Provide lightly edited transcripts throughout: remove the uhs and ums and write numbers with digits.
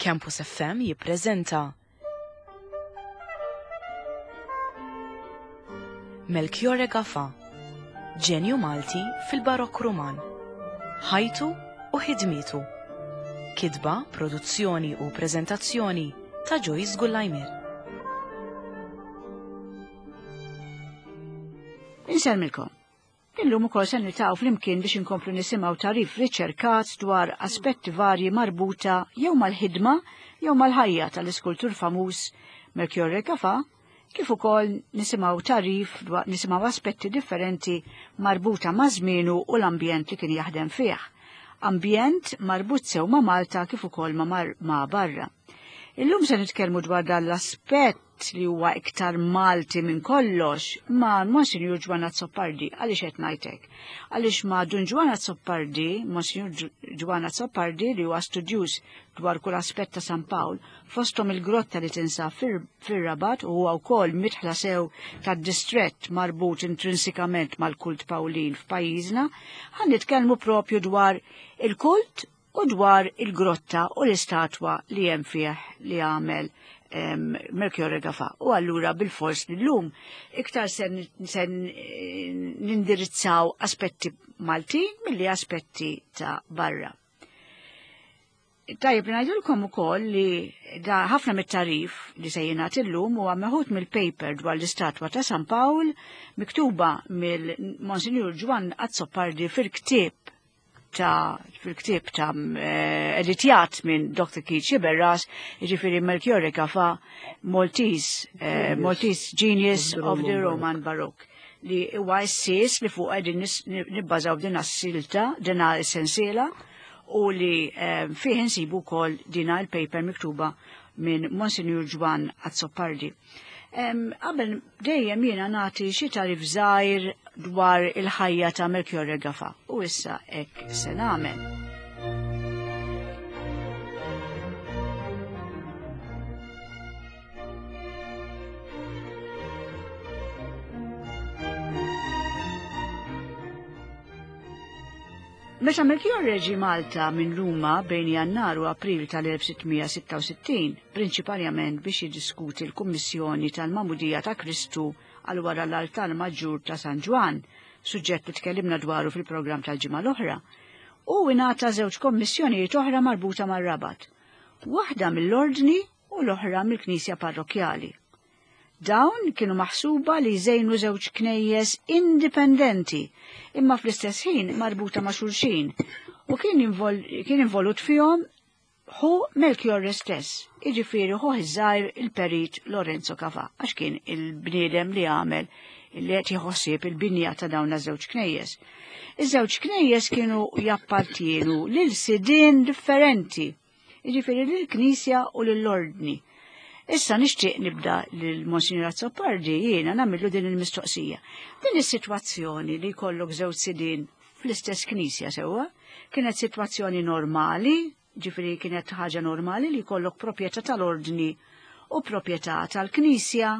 Campus FM jippreżenta Melchiorre Gafà, ġenju Malti fil-Barokk Ruman. Ħajtu u ħidmietu. Kitba, produzzjoni u preżentazzjoni ta' Joyce Gullajmir. Insellmilkom. Illum ukoll se niltaqgħu flimkien biex inkomplu nisimgħu tagħrif riċerkat dwar aspetti varji marbuta jew mal-ħidma jew mal-ħajja tal-iskultur famuż Melchiorre Gafà, kif ukoll nisimgħu tagħrif dwar nisimgħu aspetti differenti marbuta ma' żmienu u l-ambjent li kien jaħdem fih. Ambjent marbut sew ma' Malta kif ukoll ma', ma barra. Illum se nitkellmu dwar dan l-aspett li huwa iktar Malti minn kollox ma' Monsinjur Ġwann Azzopardi. Għaliex qed ngħid hekk? Għaliex ma' Dun Ġwann Azzopardi, Monsinjur Ġwann Azzopardi li huwa studjuż dwar kull aspett ta' San Pawl, fosthom il-grotta li tinsab fir-Rabat u huwa wkoll midħla sew tad-distrett marbut intrinsikament mal-kult Pawlin f'pajjiżna, ħa nitkellmu propju dwar il-kult u dwar il-grotta u l-istatwa li hemm fih li għamel Melchiorre Gafà. U allura bil-fors li llum iktar se nindirizzaw aspetti Maltin milli aspetti ta' barra. Tajjeb ngħidilkom ukoll li da ħafna mit-tarif li se jingħad illum huwa meħud mill-paper dwar l-istatwa ta' San Pawl miktuba mill-Monsinjur Ġwann Azzopardi fil-ktieb ta' fil-ktieb ta' eh, editjat minn Dr. Keith Sciberras, jiġifieri Melchiorre Gafà, Maltese, eh, Maltese Genius of the Roman Baroque li huwa s-sis li fuq qegħdin nibbażaw din as-silta, din is-sensiela u li eh, fih insibu wkoll dina il-paper miktuba minn Monsignor Ġwann Azzopardi. Qabel dejjem jiena nagħti xi tarif żgħir dwar il-ħajja ta' Melchiorre Gafà u issa hekk se nagħmel. Meta Melchiorre ġie Malta minn Ruma bejn Jannar u April tal-1666, prinċiparjament biex jiddiskuti l-kummissjoni tal-Magħmudija ta' Kristu għal wara l-altar maġġur ta' San Ġwann, suġġett li tkellimna dwaru fil-programm tal-ġimgħa l-oħra, hu ingħata żewġ kommissjonijiet oħra marbuta mar-Rabat, waħda mill-Ordni u l-oħra mill-Knisja Parrokkjali. Dawn kienu maħsuba li jżejnu żewġ knejjes indipendenti, imma fl-istess ħin marbuta ma' xulxin, u kien, invol, kien involut fihom ħu Melchiorre stess, jiġifieri ħuh iż-żgħir il-perit Lorenzo Cafà, għax kien il-bniedem li għamel li qed jħossib il-binja ta' dawn iż-żewġ knejjes. Iż-żewġ knejjes kienu jappartienu lil sidien differenti jiġifieri lill-Knisja u lill-Ordni. Issa nixtieq nibda lil Monsignor Azzopardi jiena nagħmillu din il-mistoqsija. Din is-sitwazzjoni li jkollok żewġ sidien fl-istess knisja sewwa, kienet sitwazzjoni normali, ġifieri kienet ħaġa normali li jkollok proprjetà tal-ordni u proprjetà tal-knisja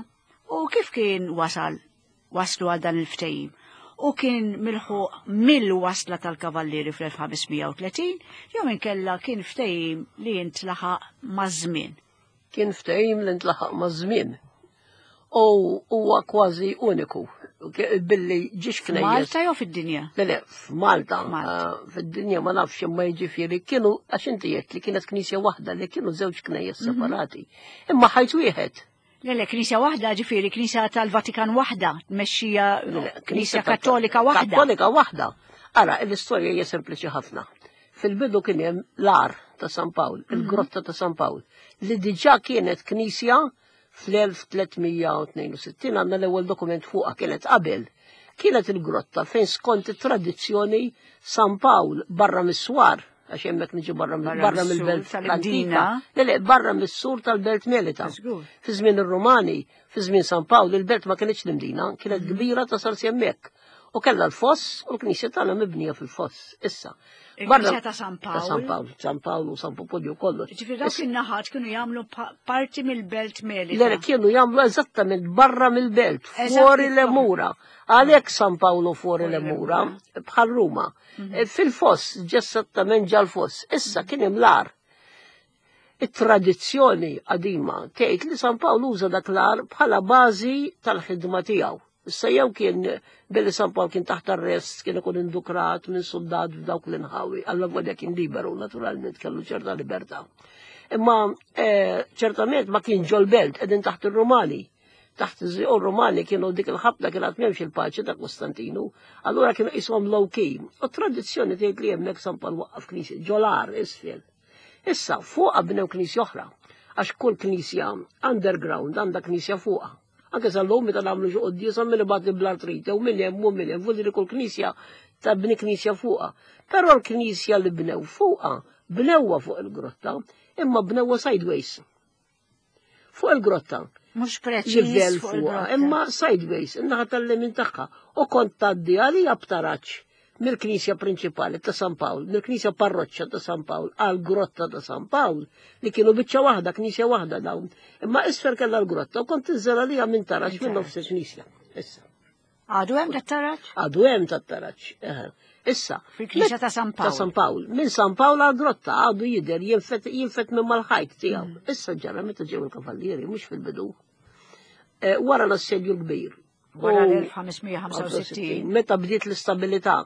u kif kien wasal waslu għal dan il-ftehim u kien milħuq mill-wasla tal-kavallieri fl-1530 jew inkella kien ftehim li jintlaħaq maż-żmien. Kien ftehim li ntlaħaq maż-żmien. U huwa kważi uniku billi ġiex knejjes. Malta jew fid-dinja? Le, le, f'Malta. Ah, fid-dinja ma nafx imma jiġifieri kienu għax inti jgħid li kienet knisja waħda li kienu żewġ knejjes mhm. separati. Imma ħajt wieħed. Le, le, knisja waħda, ġifieri, knisja tal-Vatikan waħda, tmexxija knisja kattolika waħda. Kattolika waħda. Ara, l-istorja hija sempliċi ħafna. Fil-bidu kien hemm l-ar ta' San Pawl, mhm. il-grotta ta' San Pawl, li diġà kienet knisja fl-1362 għandna l-ewwel dokument fuqha kienet qabel. Kienet il-grotta fejn skont it-tradizzjoni San Pawl barra mis-swar għax hemmhekk niġu barra barra mill-belt l-antika. Le, le, barra mis-sur tal-belt Melita. Fi żmien ir-Rumani, fi żmien San Pawl, il-belt ma kienx l-Imdina, kienet mhm. kbira tasal hemmhekk. U kellha l-foss u l-knisja tagħna mibnija fil-foss. Issa. Barra ta' San Pawl. Ta' San Pawl, San Pawl u San Popolju kollu. Ġifieri dawk in-naħat kienu jagħmlu parti mill-belt Melita. Le, kienu jagħmlu eżattament barra mill-belt, fuori l-emura. Għalhekk San Pawl fuori l-emura, bħal Ruma. Mhm. Eh, fil-foss, ġessattament ġal-foss. Issa kien hemm l-ar. It-tradizzjoni qadima tgħid li San Pawl uża dak l-għar bħala bażi tal-ħidma tiegħu. Issa jew kien billi San Pawl kien taħt arrest kien ikun indukrat minn suldat f'dawk l-inħawi, alla volja kien liberu naturalment kellu ċerta libertà. Imma eh, ċertament ma kien ġol-belt qegħdin taħt ir-Rumani. Taħt iż-żiqu Rumani kienu dik il-ħabta kien għad m'hemmx il-paċi ta' Kostantinu, allura kienu qishom low key. U tradizzjoni tgħid li hemmhekk San Pawl waqqaf knisja ġolar isfel. Issa fuqha bnew knisja oħra, għax kull knisja underground għandha knisja fuqha. Anke sal-lum meta nagħmlu xi quddiesa min ibgħat bl-artrite u min hemm u min hemm, vuol kull knisja tabni knisja fuqha. Però l-knisja li bnew fuqha, bnewha fuq il-grotta, imma bnewha sideways. Fuq il-grotta. Mhux preċiż Livell fuqha, imma sideways, in-naħa tal-lemin tagħha. U kont tgħaddi għalija b'taraġ mill-knisja prinċipali ta' San Pawl, mill-knisja parroċċa ta' San Pawl għal grotta ta' San Pawl, li kienu biċċa waħda, knisja waħda dawn. Imma isfer kellha l-grotta u kont tinżel għalija minn taraġ minn nofs il-knisja. Issa. Għadu hemm tat-taraġ? Għadu hemm tat-taraġ. Issa. Fil-knisja ta' San Pawl. Ta' San Pawl. Minn San Pawl għal grotta għadu jidher jinfet jinfet minn mal-ħajt tiegħu. Issa ġara meta ġew il-kavallieri mhux fil-bidu. Eh, wara l-assedju l-kbir. Wara l-1565. Meta bdiet l-istabilità.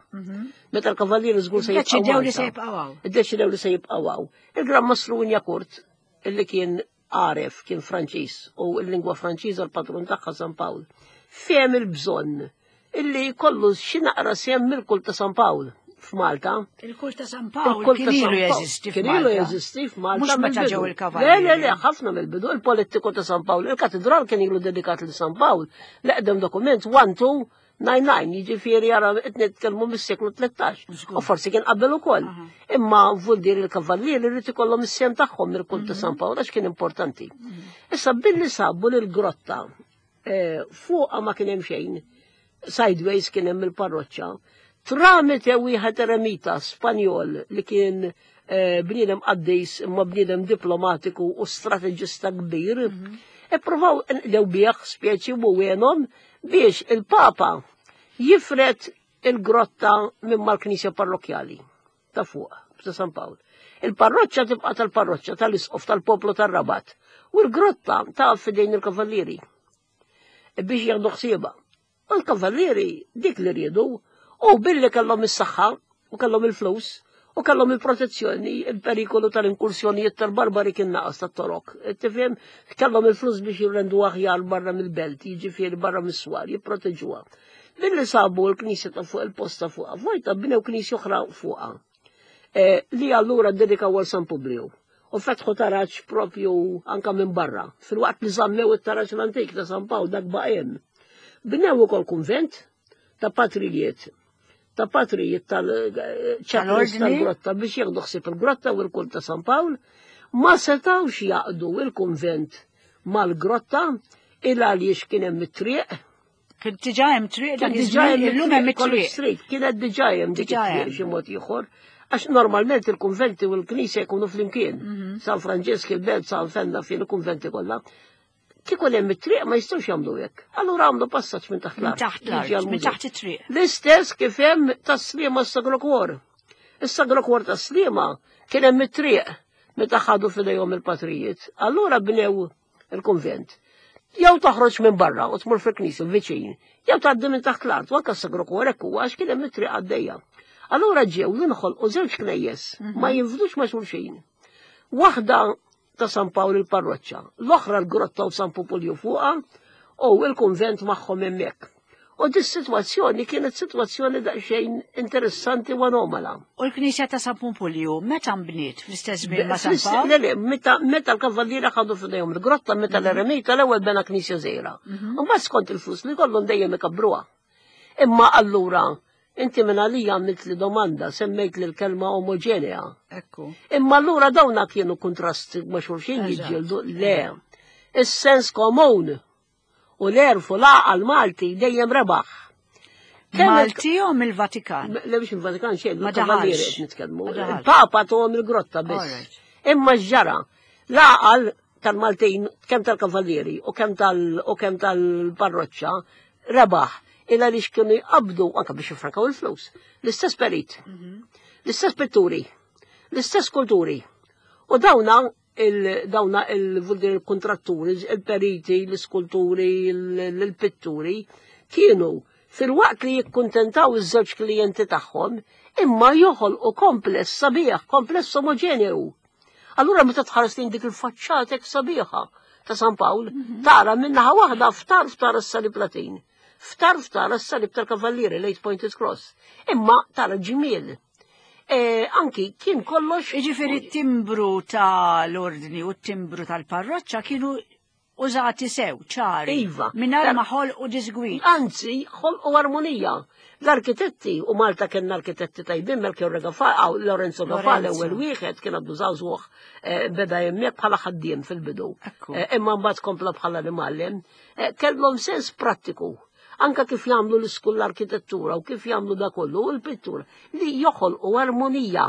Meta l-kavallieri żgur se jibqgħu. Iddeċidew li se jibqgħu hawn. Iddeċidew li se jibqgħu hawn. Il-Gran Mastru Wignacourt illi kien għaref kien Franċiż u l-lingwa Franċiża l-patrun tagħha San Pawl. Fehem il-bżonn illi jkollu xi naqra sehem mill-kult ta' San Pawl f'Malta. Il-kult ta' San Pawl kien ilu jeżisti Kien ilu jeżisti f'Malta. Mhux meta mill-bidu. ġew il-kavallieri. Le, le, le, ħafna mill-bidu. Il-politiku ta' San Pawl, il-katedral kien ilu dedikat lil San Pawl. L-eqdem dokument 1 2 99, jiġifieri ara qed nitkellmu mis-seklu 13. U forsi kien qabel ukoll. Imma vuol dire il-kavallieri rrid ikollhom is-sehem tagħhom mill-kult ta' San Pawl għax kien importanti. Issa billi sabu lil grotta eh, fuqha ma kien hemm xejn, sideways kien hemm il-parroċċa, tramite wieħed eremita Spanjol li kien eh, bniedem qaddis imma bniedem diplomatiku u strateġista kbir, ippruvaw nqdew bih speċi u għenhom biex il-Papa jifred il-grotta minn mal-Knisja parrokkjali ta' fuq, ta' San Pawl. Il-parroċċa tibqa' tal-parroċċa tal-isqof tal-poplu tar-Rabat u l-grotta ta' fidejn il-kavallieri biex jieħdu ħsiebha. U l-kavallieri dik li riedu u billi kellhom is-saħħa u kellhom il-flus u kellhom il-protezzjoni, il-perikolu tal-inkursjonijiet tal-barbari kien naqas tat-torok. Tifhem, kellhom il-flus biex jirrendu aħjar barra mill-belt, jiġifieri barra mis-swar, jipproteġuha. Billi sabu l-knisja ta' fuq il-posta fuqha, vojta bnew knisja oħra fuqha. Eh, li allura ddedikaw għal San Publiju. U fetħu taraġ propju anka minn barra. Fil-waqt li żammew it-taraġ l-antik ta' San Pawl dak baqem. Bnew ukoll kunvent ta' patrijiet ta' patrijiet tal-ċaplins tal-grotta biex jieħdu ħsieb il-grotta u l-kult ta' San Pawl, ma setawx jaqdu il-kunvent mal-grotta il għaliex kien hemm it-triq. Kien diġà hemm triq dak iż-żmien, illum hemm it-triq. Street, kienet diġà hemm dik it-triq xi mod ieħor. Għax normalment il-kunventi u l-knisja jkunu flimkien. San Franġisk il-Belt, San Fenna fil kunventi kollha. Kieku hemm it-triq ma jistgħux jagħmlu hekk. Allura għamlu passaġġ minn taħt Minn l-art. taħt l-art, Jiġi għall-mużew. minn taħt it-triq. L-istess kif hemm tas-Sliema s-Sagro Cuor. Is-Sagro Cuor tas-Sliema kien hemm it-triq meta ħadu f'idejhom il-patrijiet. Allura bnew il-kunvent. Jew toħroġ minn barra u tmur fil-knisja viċin, jew tgħaddi minn taħt l-art, u anke s-Sagro Cuor hekk huwa għax kien hemm it-triq għaddejja. Allura ġew jinħolqu żewġ knejjes ma jinfdux ma' xulxin. Waħda ta' San Pawl il-parroċċa, l-oħra l-grotta u San Pupulju fuqha u l-kunvent magħhom hemmhekk. U dis sitwazzjoni kienet sitwazzjoni daqsxejn interessanti u anomala. U l-Knisja ta' San Pumpulju meta nbniet fl-istess żmien ma' San Pawl? Le, le, meta meta l-kavalliera ħadu f'idejhom il-grotta, meta l-eremita l-ewwel bena knisja żgħira. U mbagħad skont il-flus li kollhom dejjem ikabbruha. Imma allura inti minn għalija għamilt li domanda, semmejt li l-kelma omogenea. Ekku. Imma allura dawna kienu kontrast ma' xulxin Eżatt. jiġġieldu le. Is-sens komun u l-għerf u l-għaqal Malti dejjem rebaħ. Kemm il- Malti jew mill-Vatikan? Le biex il-Vatikan xejn, Ma il-Kavallieri daħalx. qed nitkellmu. Ma daħalx. Il-Papa tuhom il-grotta biss. Alright. Imma x'ġara, l-għaqal tal-Maltin, kemm tal-Kavallieri u kemm tal u kemm tal-parroċċa, rebaħ il għaliex kienu jqabdu anke biex jifrankaw il-flus. L-istess perit, l-istess pitturi, l-istess kulturi. U dawna il-dawna il-kontratturi, il-periti, l-iskulturi, l-pitturi, kienu fil-waqt li jikkuntentaw iż-żewġ klijenti tagħhom, imma joħolqu kompless sabiħ, kompless omogeneu. Allura meta tħares lejn dik il-faċċata hekk sabiħa ta' San Pawl, mhm. tara minnaħa waħda ftar ftar is-salib Latin, ftar ftar is-salib tal-Kavallieri l-Eight Pointed Cross, imma tara ġmiel. E, anki kien kollox. Iġifieri t-timbru tal-ordni u t-timbru tal-parroċċa kienu użati sew, ċari. Iva. Mingħajr ma ħolqu disgwid. Anzi, ħolqu armonija. L-arkitetti, u Malta kien arkitetti tajbin, Melchior Gafà, Lorenzo Gafà l-ewwel wieħed kien għaddu żagħżugħ eh, beda hemmhekk bħala ħaddiem fil-bidu. Eh, imma mbagħad kompla bħala l-imgħallem. Eh, kellhom sens prattiku anka kif jagħmlu l-iskull l-arkitettura u kif jagħmlu da kollu u l-pittura li joħolqu armonija.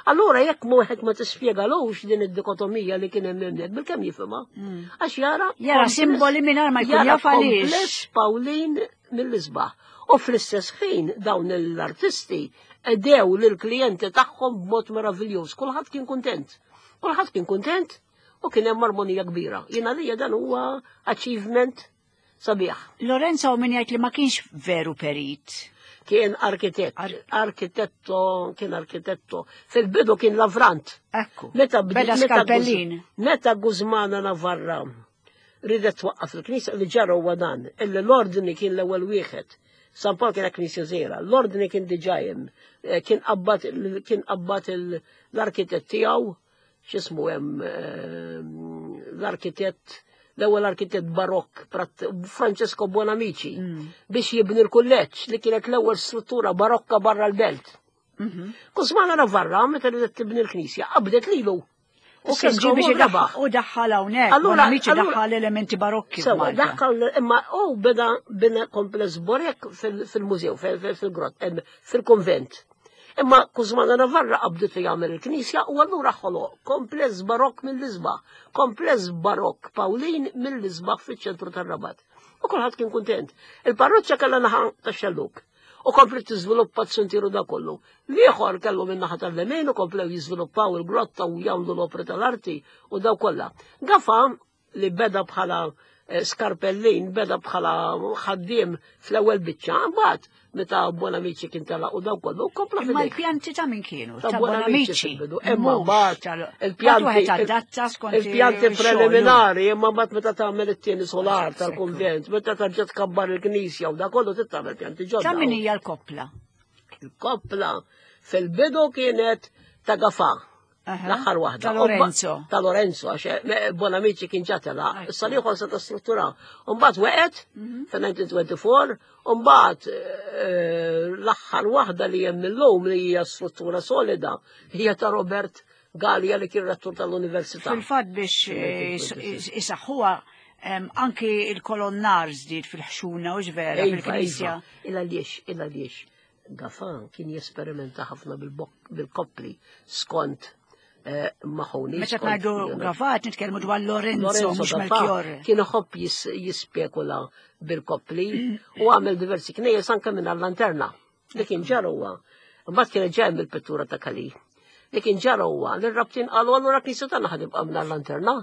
Allura jekk wieħed ma tispjegalux din id-dikotomija li kien hemm hemmhekk bil-kemm jifhimha. Mm. Għax jara jara simboli mingħajr ma jkun jaf għaliex. Pawlin mill-isbaħ. U fl-istess ħin dawn l-artisti edew lill-klijenti tagħhom b'mod meraviljuż. Kulħadd kien kuntent. Kulħadd kien kuntent u kien hemm armonija kbira. Jiena lija dan huwa achievement sabiħ. Lorenzo min jgħid li ma kienx veru perit. Kien arkitett, Ar arkitetto, kien arkitetto. Fil-bidu kien lavrant. Ekku. Meta beda skalpellin. Meta Guzmana Navarra ridet twaqqaf il-knisja li ġara huwa dan, illi l-ordni kien l-ewwel wieħed. San Pawl kien knisja żgħira, l-ordni kien diġà hemm, eh, kien qabbad kien qabbad l-arkitett tiegħu x'ismu hemm ehm, l-arkitett l-ewwel arkitett barokk Francesco Bonamici mm. biex jibni l-kulleġġ li kienet l-ewwel struttura barokka barra l-belt. Mhm. Kuzmana Navarra meta ridet tibni l-knisja qabdet lilu. U kien ġi biex rebaħ. U daħħal hawnhekk. Allura Bonamici daħħal elementi barokki. Sewa, daħħal imma u beda bina kompless borek fil-mużew, fil-grott, fil-konvent. Imma Kuzmana Navarra qabditu jagħmel il-knisja u allura ħoloq kompless barokk mill-isbaħ, kompless barokk Pawlin mill-isbaħ fiċ-ċentru tar-Rabat. U kulħadd kien kuntent. Il-parroċċa kellha naħa tax-xelluk u komplet tiżviluppa t-sentiru da kollu. L-ieħor kellu minn naħa tal-lemin u komplew jiżviluppaw il-grotta u jagħmlu l-opri tal-arti u daw kollha. Gafa li beda bħala eh, skarpellin, beda bħala ħaddiem fl-ewwel biċċa, mbagħad meta Bonamici kien telaq u daw kollu kompla Imma l-pjanti ta' min kienu? Ta' Bonamici. Imma mbagħad il-pjanti il-pjanti preliminari, imma mbagħad meta tagħmel it-tieni solar tal-kunvent, meta tarġa' tkabbar il-knisja u da kollu trid tagħmel pjanti ġodda. Ta' min hija l-koppla? Il-koppla fil-bidu kienet ta' Gafa. L-aħħar waħda. Ta' Lorenzo. Ta' Lorenzo, għax eh, Bonamici kien ġatela. Issa liħor se ta' struttura. Umbagħad weqet mhm. fil-1924, umbagħad eh, l-aħħar waħda li hemm illum li hija struttura solida hija ta' Robert Gallia li kien rettur tal-Università. Fil-fatt biex eh, isaħħuha anki il-kolonnar żdied fil-ħxuna u ġvera iva, fil-knisja. Iva. Illa għaliex, illa għaliex. Gafan kien jesperimenta ħafna bil-koppli skont eh, maħuni. Meta ngħidu Gafan nitkellmu dwar Lorenzo mhux Melchior. Kien iħobb jispekula bil-koppli u għamel diversi knejjes anke minn lanterna li kien ġara huwa. Mbagħad kien ġej mill-pittura ta' Kali. Li kien ġara huwa li r-rabtin qalu allura knisja tagħna ħadibqa' minn lanterna.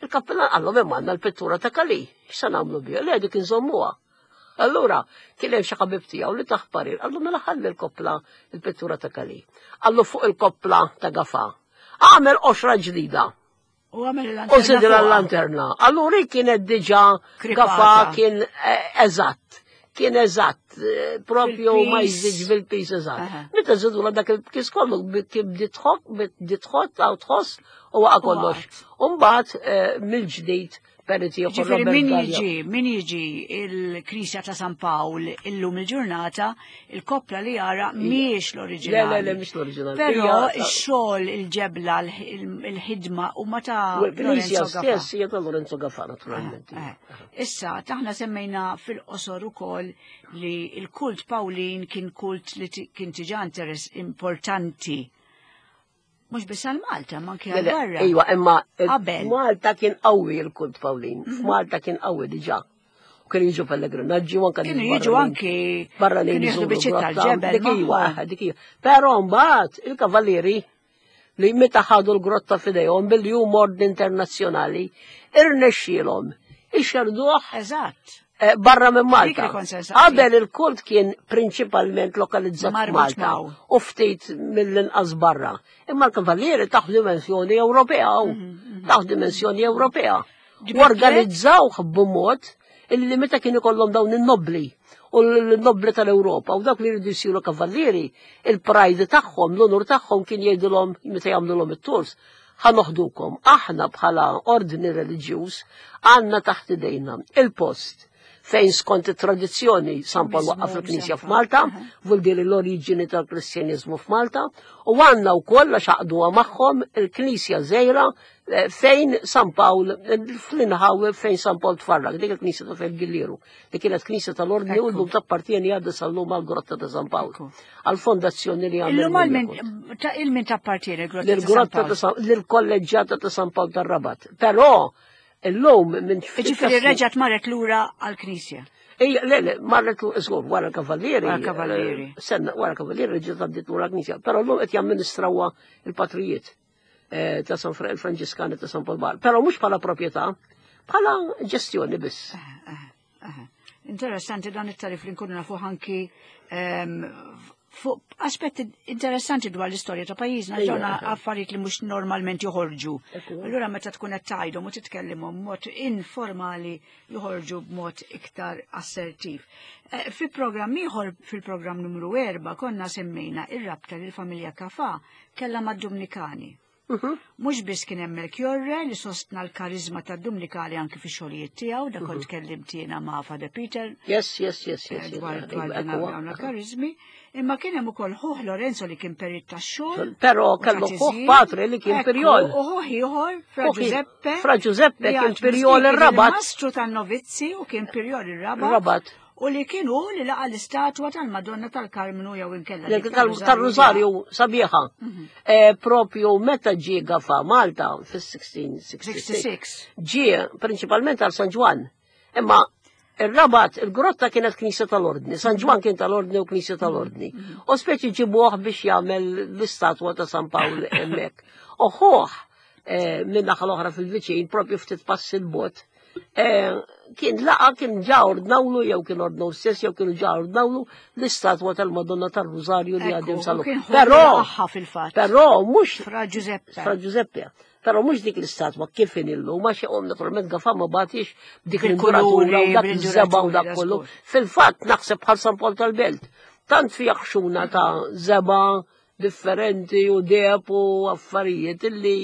Il-kappellan qallhom hemm għandna l-pittura ta' Kali, x'se nagħmlu biha? Le dik inżommuha. Allura, kien hemm xi ħabib tiegħu li taħ parir, qallu mela ħalli l-koppla il-pittura ta' Kali. Qallu fuq il-koppla ta' Gafa. Għamel qoxra ġdida. U għamel il-lanterna. U zidil l-lanterna. Allura kienet diġà Gafa kien eh, eżatt. Kien eżatt, eh, propju ma jżidx bil-pis eżatt. Meta żidu dak il-pis kollu kien bdiet tħott għaw tħoss u waqa' kollox. U mbagħad eh, mill-ġdid Periti Ġifieri min jiġi, min jiġi il-Knisja ta' San Pawl illum il-ġurnata, il-koppla li jara mhijiex l-oriġinali. Le, le, le, mhix l-oriġinali. Però x-xogħol, il-ġebla, il-ħidma huma ta' Lorenzo stess hija ta' Lorenzo Gafà naturalment. Eh, eh. Issa, taħna semmejna fil-qosor ukoll li l-kult Pawlin kien kult li kien tiġa interess importanti Mhux biss għal Malta, ma anke għal barra. Iva, imma qabel. Malta kien qawwi l-kult Pawlin. Mhm. F'Malta kien qawwi diġà. U kien jiġu pellegrinaġġi u anke Kienu jiġu anke barra li jieħdu biċċiet tal-ġebel. Dik iva, dik iva. Però mbagħad il-kavallieri li meta ħadu l-grotta f'idejhom billi hu ordni internazzjonali, irnexxielhom ixerduh Eżatt. Barra minn Malta. Dik li kont se nsaqsi. Qabel il-kult kien prinċipalment lokalizzat Marbut Malta maw. u ftit mill-inqas barra. Imma l-kavallieri taħ dimensjoni Ewropea u taħ dimensjoni Ewropea. U organizzawh b'mod illi meta kien ikollhom dawn in-nobli u l-nobli tal-Ewropa u dawk li jridu jsiru kavallieri, il-pride tagħhom, l-onur tagħhom kien jgħidulhom meta jagħmluhom it-tours, ħa noħdukom. Aħna bħala ordni reliġjuż għandna taħt idejna il-post fejn skont it-tradizzjoni San Pawl waqqaf il-Knisja f'Malta, vuol dire l-oriġini tal-Kristjaniżmu f'Malta, u għandna wkoll għax għaqduha magħhom il-Knisja żgħira fejn San Pawl, fl-inħawi fejn San Pawl tfarrak, dik il-Knisja ta' fejn Gillieru, li kienet Knisja tal-Ordni u llum tappartieni għadha sal-lum għall-Grotta ta' San Pawl, għall-fondazzjoni li għamel. Illum għal min ta' il min tappartieni l-Grotta ta' San Lill-Grotta Pawl? ta' San, lill-Kolleġġjata ta' San Pawl tar-Rabat. Però illum minn ftit Ġifieri ta' snin- reġgħet marret lura għall-Knisja. Ejja, le, le, marret lura, żgur, wara l-Kavallieri. Wara l-Kavallieri. Senna, wara l-Kavallieri reġgħet għaddiet lura l-Knisja. Però llum qed jamministrawha il-patrijiet ta' San il-Franġiskani ta' San Pawl Baħar. Però mhux bħala proprjetà, bħala ġestjoni biss. Interessanti dan it-tarif li nkunu nafu anki fuq aspetti interessanti dwar l-istorja ta' pajjiżna, ġonna affarijiet li mhux normalment joħorġu. Allura meta tkun qed tgħidhom u titkellimhom b'mod informali joħorġu b'mod iktar assertiv. Fi programm ieħor, fil-programm numru 4, konna semmejna ir-rabta li l-familja Gafà kellha mad-Dumnikani. Mhux biss kien hemm Melchiorre li sostna l-karizma tad-Dumnikani anki fix-xogħlijiet tiegħu, dak kont tkellimt jiena ma' Father Peter. Yes. Dwar dawn il-karizmi, imma kien hemm ukoll ħuh Lorenzo li kien perit tax-xogħol. Però u kellu ta' ħuh tiżjin. Patri li kien Ekku, pirjol. U ħuh ieħor, Fra Ħuh Giuseppe. Fra Giuseppe li kien għad pirjol mistieden ir-Rabat. Il-mastru tan-novizzi u kien pirjol ir-Rabat. Rabat. U li kienu li laqa l-istatwa tal-Madonna tal-Karmnu jew inkella dik Tal-Rużarju sabiħa. Propju meta ġie Gafà Malta fis-1666. 66. Ġie prinċipalment għal San Ġwann. Imma ir-Rabat, il-grotta kienet knisja tal-Ordni, San Ġwann kien tal-Ordni u knisja tal-Ordni. U speċi ġibuh biex jagħmel l-istatwa ta' San Pawl hemmhekk. U ħuh minn naħa l-oħra fil-viċin, propju ftit pass il-bot, kien laqa kien ġa ordnawlu jew kien ordnaw stess jew kienu ġa ordnawlu l-istatwa tal-Madonna tal-Rużarju li Ekku, għadhom u salu. kien ħu Però laqaħħa fil-fatt. Però mhux Fra Giuseppe. Fra Giuseppe. Però mhux dik l-istatwa kif in illum, għax jaqom naturalment Gafà ma bagħtix dik Bil-kuluri, l-induratura u dak iż-żebgħa u dak bil-induratura, kollu. żgur. Fil-fatt naħseb bħal San Pawl tal-Belt. Tant fi ħxuna ta' żebgħa differenti u deb u affarijiet illi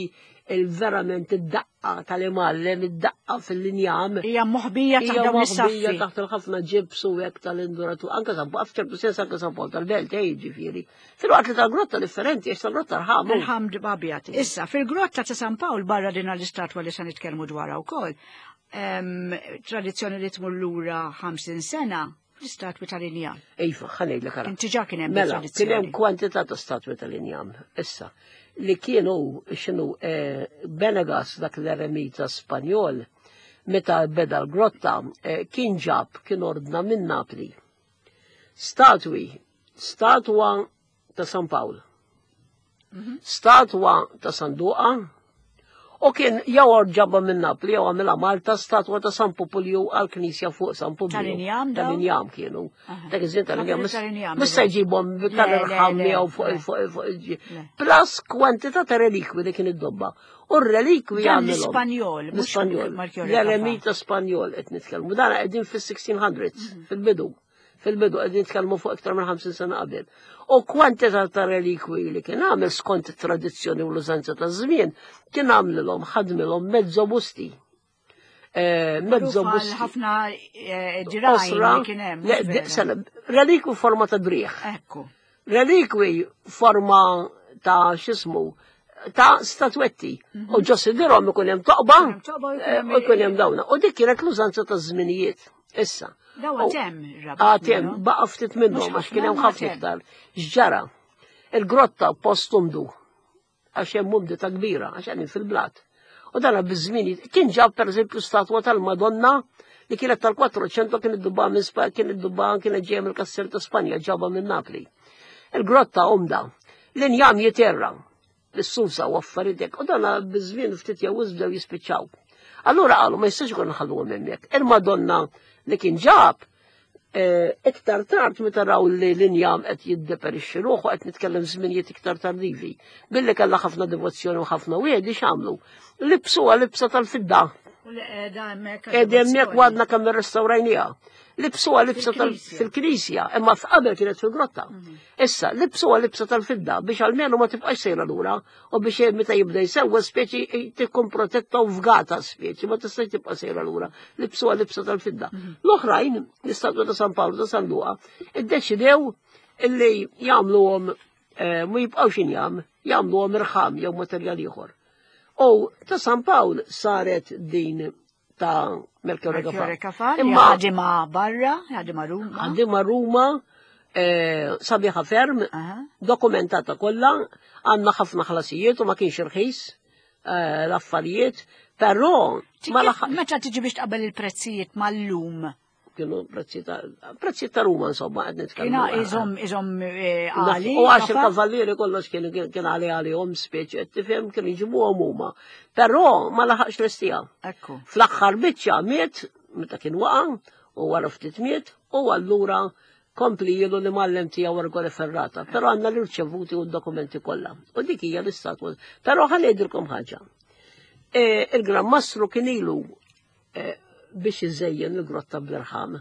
il-verament id-daqqa tal-imgħallem, id-daqqa fil-linjam. Hija moħbija taħt Hija dawn moħbija is-saffi. taħt il-ħafna ġibs u hekk tal-induratur. Anke San Pawl, f'ċertu sens anke San Pawl tal-Belt, ej, ġifieri. Filwaqt li tal-grotta differenti, għax tal-grotta rħam. Irħam abjad. Issa, fil-grotta ta' San Pawl barra din l-istatwa li se nitkellmu dwarha wkoll, tradizzjoni li tmur lura 50 sena, l-istatwi tal-injam. Iva, ħa ngħidlek ara. Inti ġa kien hemm Mela, kien hemm tradizzjoni. kwantità ta' statwi tal-injam. Issa, li kienu x'inhu Benegas dak l-eremita Spanjol, meta beda l-grotta, kien ġab, kien ordna minn Napli. Statwi, statwa ta' San Pawl, statwa ta' San Duqa, u kien jew ġabha minn Napli jew għamilha Malta statwa ta' San Popolju għall-Knisja fuq San Publiju. Tal-injam dawn? Tal-injam kienu. Dak iż-żmien tal-injam. Ħafna tal-injam, Mhux se jġibhom Le, tal-irħam le, jew fuq le. fuq fuq Le. Plus kwantità ta' relikwi li kien id-dobba. U r-relikwi Dan għamilhom. l-Ispanjol, mhux L-Ispanjol. Melchiorre L-eremita Spanjol qed nitkellmu. Dan qegħdin fis-1600s, fil-bidu. Fil-bidu qegħdin nitkellmu fuq iktar minn 50 sena qabel. U kwantità ta' relikwi li kien għamel skont it-tradizzjoni u l-użanza ta' żmien, kien għamlilhom ħadmilhom mezzo busti. Mezzo Magħruf għal busti. ħafna dirgħajn Osra, li kien hemm, le, mhux vera? sena, relikwi forma ta' driegħ. Ekku. Relikwi forma ta' x'ismu, ta' statwetti. U ġo sidirhom ikun hemm toqba, Ikun hemm toqba u jkun hemm u jkun hemm dawna. U dik kienet l-użanza ta' żminijiet. Issa. Daw U għad hemm ir-Rabat Għad hemm, minnhom. baqa' ftit minnhom, Mhux għax kien hemm ħafna, ħafna għad hemm. iktar. X'ġara? Il-grotta post umdu, għax hemm umdità kbira, għax hemm fil-blat. U dana biż-żmien kien ġab pereżempju statwa tal-Madonna li kienet tal-400 kien id-dubba minn Spa, kien id-dubba kienet ġejja mill-Kastel ta' Spanja, ġabha minn Napli. Il-grotta umda, l-injam jiterra. Bis-susa u affarijiet hekk, u dana biż-żmien ftit jew wisq bdew jispiċċaw. Allura qalu ma jistax ikun nħalluhom hemmhekk. Il-Madonna li kien ġab eh, iktar tard meta raw li l-injam qed jiddeperixxi ruħu qed nitkellem żminijiet iktar tardivi. Billi kellha ħafna devozzjoni u ħafna wiedi x'għamlu. Libsuha libsa tal-fidda. U li qiegħda hemmhekk. Qiegħda hemmhekk u għadna kemm irrestawrajniha. Libsuha libsa fil-knisja, imma f'qabel kienet fil-grotta. Mhm. Issa, libsuha libsa tal-fidda biex almenu ma tibqax sejra lura u biex meta jibda jsewwa speċi tkun protetta u fgata speċi ma tistax tibqa' sejra lura. Libsuha libsa tal-fidda. Mhm. L-oħrajn, l-istatwa ta' San Pawl ta' San Luqa, iddeċidew illi jagħmluhom eh, ma jibqgħux injam, jagħmluhom irħam jew materjal ieħor. U ta' San Pawl saret din ta' Melchiorre Gafà. Imma ħadima barra, ħadima Ruma. Ħadima Ruma, eh, sabiħa ferm, dokumentata kollha, għandna ħafna ħlasijiet u ma kienx irħis eh, l-affarijiet, però meta tiġi biex tqabel il-prezzijiet mal-lum kienu prezzi ta' Ruma insomma qed nitkellmu. Kiena iżom iżom eh, għali. U għax il-kavallieri kollox kien kien għali għalihom speċi qed tifhem kienu jġibuhom huma. Però ma laħaqx l-istija. Ekku. Fl-aħħar biċċa miet meta kien waqa' u wara ftit miet u allura kompli jilu li mallem tiegħu Ergole Ferrata, però għandna l-irċevuti u d-dokumenti kollha. U dik hija l-istatwa. Però ħa ngħidilkom ħaġa. E, Il-Gran Mastru kien ilu Eh, biex iżejjen il-grotta bl-irħam.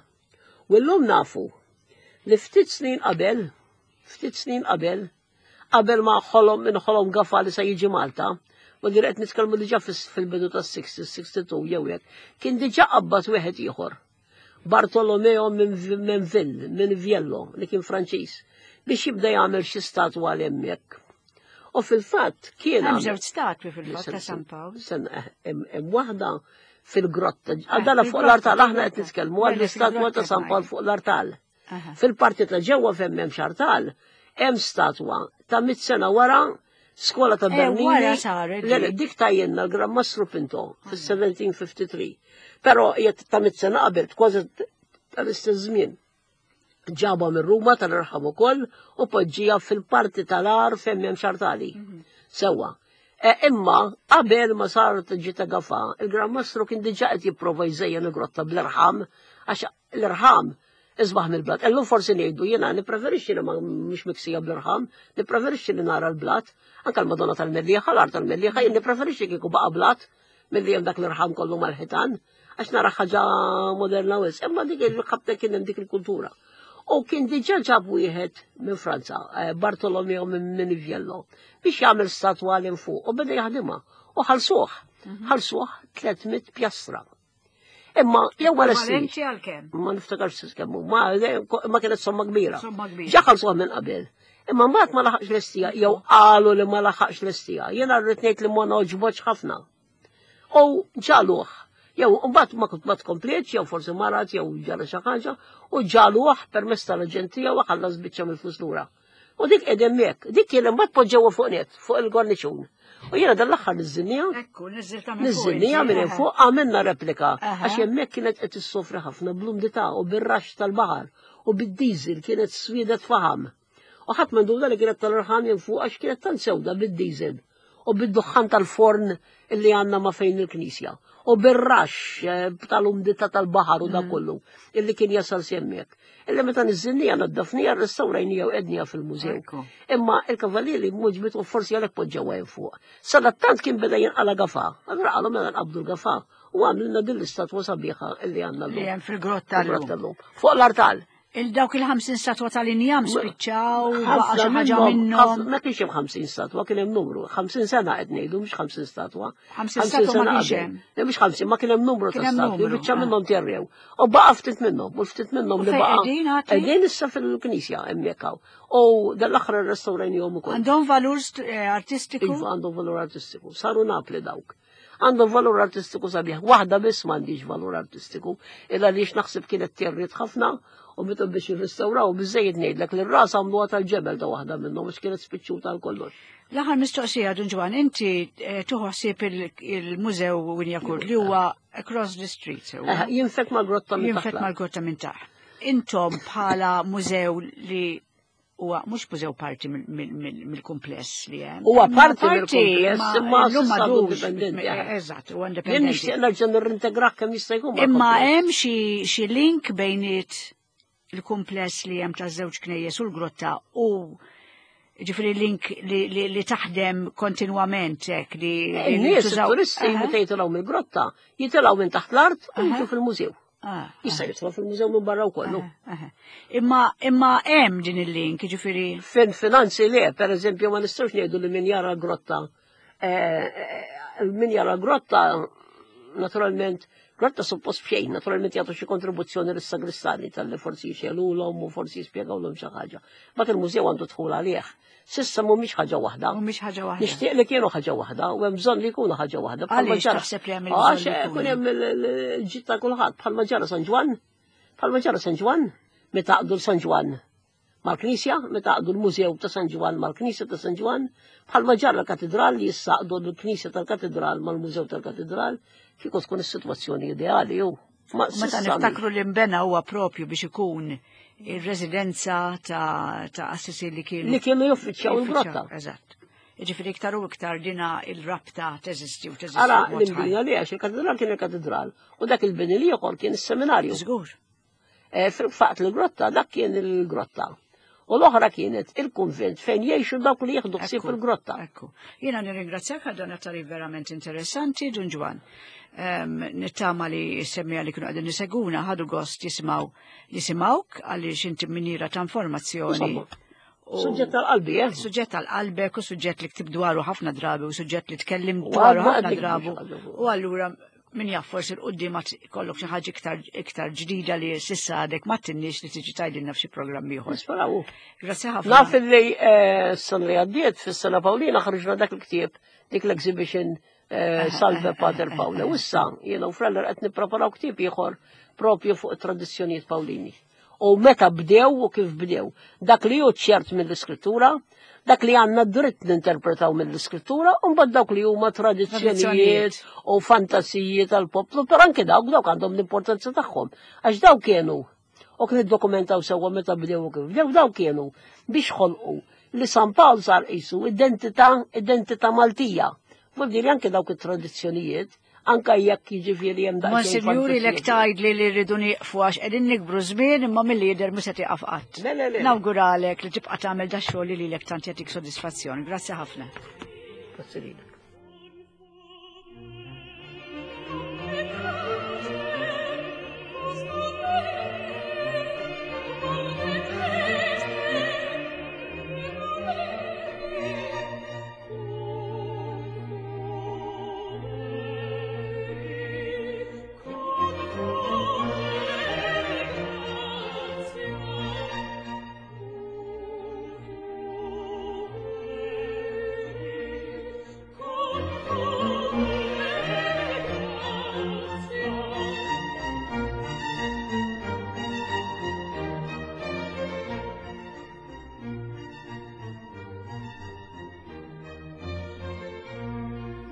U llum nafu li ftit snin qabel, ftit snin qabel, qabel ma ħolom minn ħolom gafa li se jiġi Malta, u li qed nitkellmu diġà fil-bidu tas-60, 62 jew hekk, kien diġà qabbad wieħed ieħor. Bartolomeo minn Vill, minn Viello, li kien Franċiż, biex jibda jagħmel xi statwa għal hemmhekk. U fil-fatt kien. Hemm żewġ statwi fil-fatt ta' San Pawl. Eh, hemm waħda fil-grotta. Eh, Għadala fuq l-artal, aħna qed nitkellmu għall-istatwa ta' San Pawl fuq l-artal. Fil-parti ta' ġewwa fejn hemm xartal, hemm statwa ta' mit sena wara skola ta' eh, Bernini. Dik tajjenna l-Gran Mastru Pinto fis-1753. Però jgħid ta' mit sena qabel, kważi tal-istess żmien. Ġabha minn Ruma tal-irħam ukoll u poġġija fil-parti tal-għar fejn hemm xartali. Mhm. Sewwa. E, imma qabel ma saret ġita gafa, il-Gran Mastru kien diġà qed jipprova jżejjen il-grotta bl-irħam għax l-irħam isbaħ mill-blat. Illum forsi ngħidu jiena nippreferixxi li ma mhux miksija bl-irħam, nippreferixxi li nara l-blat, anke l-Madonna tal-Mellieħa, l-art tal-Mellieħa, jien nippreferixxi kieku baqa' blat milli hemm dak l-irħam kollu mal-ħitan, għax nara ħaġa moderna wis, imma dik il-ħabta kien hemm dik il-kultura. U kien diġà ġab wieħed minn Franza, eh, Bartolomeo minn Miniviello, biex jagħmel statwa l fuq u beda jaħdimha u ħalsuh, mhm. ħalsuh 300 pjastra. Imma jew ma lesti. Ma niftakarx kemm ma ma kienet somma kbira. Ġa ħalsuh minn qabel. Imma mbagħad ma laħaqx l-istija, jew qalu li ma laħaqx l-istija. Jiena rrid ngħid li ma noġbotx ħafna. U ġaluh. Jew mbagħad ma kont ma tkomplietx, jew forsi marat, jew ġara xi ħaġa, u ġaluh permezz tal-aġentija u ħallas biċċa mill-flus lura. U dik qed hemmhekk, dik kien imbagħad poġġewha fuq net, fuq il-gorniċun. U jiena dan l-aħħar niżżinniha. Ekku, niżżilta minn fuq. Niżżinniha minn fuq għamilna replika għax hemmhekk kienet qed issofri ħafna bl-umdità u bir-raxx tal-baħar u bid-diesel kienet swiedet faħam. U ħadd m'għandu li kienet tal-irħam minn fuq għax kienet tant sewda bid-diesel u bid-duħħan tal-forn illi għandna ma fejn il-knisja u bir-raxx eh, tal-umdità tal-baħar u da mm. kollu illi kien jasal semmek. Illi meta niżżilnija naddafnija rrestawrajnija u ednija fil-mużew. Imma il-kavallieri muġbitu forsi għalhekk poġġewha hemm fuq. Sadattant kien beda jinqala gafa. Allura qalu mela nqabdu l-gafa u għamilna din l-istatwa sabiħa illi għandna llum. Li hemm fil-grotta llum. Fuq l-artal. Il-dawk il-50 statwa tal-injam spiċċaw, baqa' xi ħaġa minnhom. Ma kienx hemm 50 statwa, kien hemm numru. 50 sena qed ngħidu mhux 50 statwa. 50 statwa ma kienx hemm. Le mhux 50, ma kien hemm numru ta' statwi, biċċa eh. minnhom terrew. U baqa' ftit minnhom, u ftit minnhom li baqa'. Qegħdin issa fil-knisja hemmhekk hawn. U dan l-aħħar irrestawrajnihom ukoll. Għandhom valur eh, artistiku? Iva, għandhom valur artistiku. Saru Napli dawk. Għandhom valur artistiku sabiħ. Waħda biss m'għandix valur artistiku, illa li naħseb kienet territ ħafna u meta biex jirrestawraw biżejjed ngħidlek li r-ras għamluha tal-ġebel ta' waħda minnhom għax kienet spiċċuta għal kollox. L-aħħar mistoqsija Dun Ġwan, inti eh, tuħu ħsieb il-mużew Winjakur li huwa across the street. Eh, jinfek mal-grotta minn taħt. Jinfek mal-grotta minn taħt. Intom bħala mużew li huwa mhux mużew parti mill-kumpless li hemm. Huwa parti mill-kumpless imma llum m'għadux indipendenti. Eh, eżatt, huwa indipendenti. Jien nixtieq nerġa' nirrintegrah kemm jista' jkun. Imma hemm xi link bejniet il-kumpless li hemm taż-żewġ knejjes u l-grotta u ġifri link li, li, li taħdem kontinwament hekk li eh, Nies turisti meta jitilgħu mill-grotta, jitilgħu minn taħt l-art u jiġu fil-mużew. Ah, Jista' ah. jidħol fil-mużew minn barra wkoll. Ah, imma imma hemm din il-link, ġifieri. Fin finanzi le, per eżempju, ma nistgħux ngħidu li min jara grotta eh, eh, min jara grotta naturalment grotta suppost b'xejn, naturalment jagħtu xi kontribuzzjoni lis-sagristani tal-li forsi jxelulhom u forsi jispjegawlhom xi ħaġa. Bat il-mużew għandu dħul għalih. Sissa mhumiex ħaġa waħda. Mhumiex ħaġa waħda. Nixtieq li kienu ħaġa waħda u hemm bżonn li jkunu ħaġa waħda. Għaliex taħseb li hemm Għax ikun hemm il-ġid ta' kulħadd bħalma ġara San Ġwann, bħalma ġara San Ġwann, meta għaqdu San Ġwann mal-Knisja, meta għaqdu l-Mużew ta' San Ġwann mal-Knisja ta' San Ġwann, bħalma ġara l-Katedral li jissaqdu l-Knisja tal-Katedral mal-Mużew tal-Katedral, kieku tkun is-sitwazzjoni ideali ju. Meta niftakru li nbena huwa propju biex ikun ir-residenza ta' assisi li kienu. Li kienu juffiċċjaw il-grotta. Eżatt. Ġifieri iktar u iktar dina il-rabta teżisti u teżisti. Ara, l-imbina li għax il-katedral kien il-katedral u dak il-bini li ieħor kien is-seminarju. Żgur. Eh, fil-faqt il-grotta, dak kien il-grotta. U l-oħra kienet il-kunvent fejn jgħixu dawk li jieħdu ħsieb il-grotta. Ekku. Jiena nirringrazzjak għal dan it-tarif verament interessanti, Dun Ġwan. Nittama li semmija li kienu qegħdin niseguna ħadu gost jisimgħu jisimgħuk għaliex inti miniera ta' informazzjoni. Suġġett tal-qalbi, eh? Suġġett tal-qalbek u suġġett li ktib dwaru ħafna drabi u suġġett li tkellim dwaru ħafna drabi. U allura min jaf forsi l-qudiem ma kollok xi ħaġa iktar iktar ġdida li s'issa għadek ma tinniex li tiġi tgħidilna f'xi programm ieħor. Nisperaw. Grazzi ħafna. Naf li eh, s-sena li għaddiet fis-sena Pawlina ħriġna dak il-ktieb dik l-exhibition eh, Salve Pater Paula. U issa jiena u Freller qed nippreparaw ktieb ieħor propju fuq it-tradizzjonijiet Pawlini. U meta bdew u kif bdew. Dak li hu ċert mill-iskrittura, dak li għandna dritt ninterpretaw mill-iskrittura, u mbagħad dawk li huma tradizzjonijiet u fantasiji tal-poplu, però anke dawk dawk għandhom l-importanza tagħhom. Għax dawk kienu u kien iddokumentaw sewwa meta bdew u kif bdew dawk kienu biex ħolqu li San Pawl sar qisu identità identità Maltija. Vuol dire anke dawk it-tradizzjonijiet anka jekk jiġifieri hemm daqsxejn. Monsinjuri lek tgħidli li rridu nieqfu għax qegħdin nikbru żmien imma milli jidher mhux se tieqaf qatt. Nawguralek li tibqa' tagħmel da xogħol li lilek tant jagħtik sodisfazzjon. Grazzi ħafna. Grazzi lilek.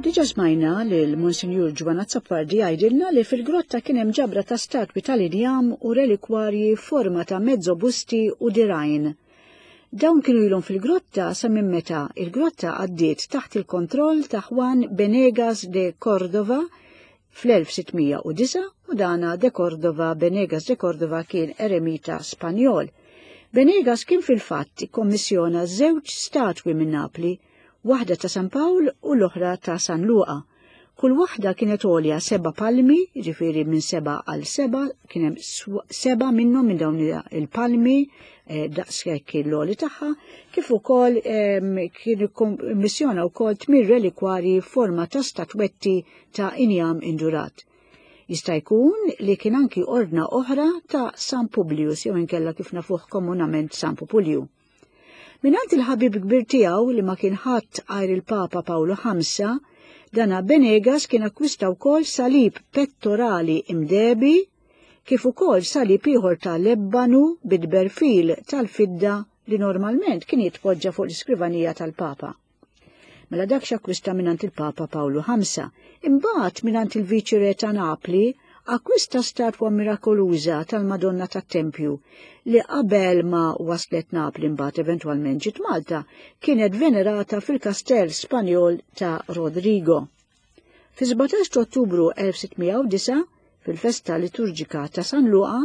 Diġa smajna li l-Monsinjur Ġwan Azzopardi jgħidilna li fil-grotta kien hemm ġabra ta' statwi tal-injam u relikwarji forma ta' mezzobusti u dirajn. Dawn kienu ilhom fil-grotta sa minn meta il-grotta għaddiet taħt il-kontroll ta' Juan Benegas de Cordova Fl-1609 u dana de Cordova, Benegas de Cordova kien eremita Spanjol. Benegas kien fil-fatt ikkommissjona żewġ statwi minn Napli, waħda ta' San Pawl u l-oħra ta' San Luqa. Kull waħda kienet għolja seba' palmi, jiġifieri minn seba' għal seba', kien hemm seba' minnhom minn dawn il-palmi eh, daqshekk l-għoli tagħha, kif ukoll ehm, kien ikkommissjona wkoll tmien relikwarji forma ta' statwetti ta' injam indurat. Jista' jkun li kien anki ordna oħra ta' San Publius jew inkella kif nafuh komunament San Pupulju. Mingħand il-ħabib kbir tiegħu li ma kien ħadd għajr il-Papa Pawlu V, dana Benegas kien akkwista wkoll salib pettorali imdebi kif ukoll salib ieħor ta' lebbanu bid-berfil tal-fidda li normalment kien jitpoġġa fuq l-iskrivanija tal-Papa. Mela dak x'akkwista mingħand il-Papa Pawlu V. Imbagħad mingħand il-Viċi Re ta' Napli akkwista statwa mirakoluża tal-Madonna tat-Tempju li qabel ma waslet Napli mbagħad eventwalment ġiet Malta, kienet venerata fil-kastell Spanjol ta' Rodrigo. Fi 17 ta' Ottubru 1609, fil-festa liturġika ta' San Luqa,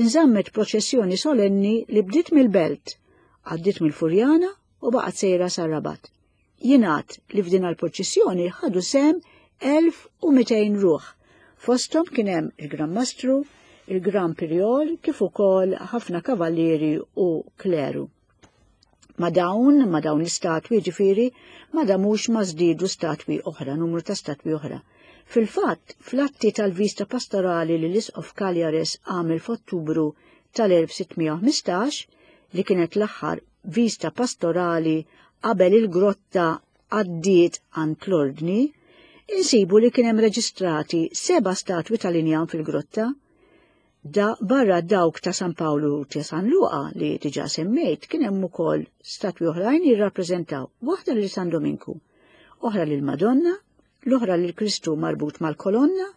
inżammet proċessjoni solenni li bdiet mill-Belt, għaddiet mill-Furjana u baqgħet sejra sar-Rabat. Jingħad li f'din l-purċissjoni ħadu sehem 1200 ruħ. Fosthom kien hemm il-Gran Mastru, il-Gran Pirjol kif ukoll ħafna kavallieri u kleru. Ma dawn, ma dawn l-istatwi ġifieri, ma damux ma żdiedu statwi oħra, numru ta' statwi oħra. Fil-fatt, fl-atti tal-vista pastorali li l-Isqof Cagliares għamel f'Ottubru tal-1615, li kienet l-aħħar vista pastorali qabel il-grotta għaddiet għand l-Ordni, insibu li kien hemm reġistrati seba' statwi tal-injam fil-grotta. Da barra dawk ta' San Pawlu u ta' San Luqa li diġà semmejt, kien hemm ukoll statwi oħrajn jirrappreżentaw waħda lil San Dominku, oħra lil Madonna, l-oħra lil Kristu marbut mal-kolonna,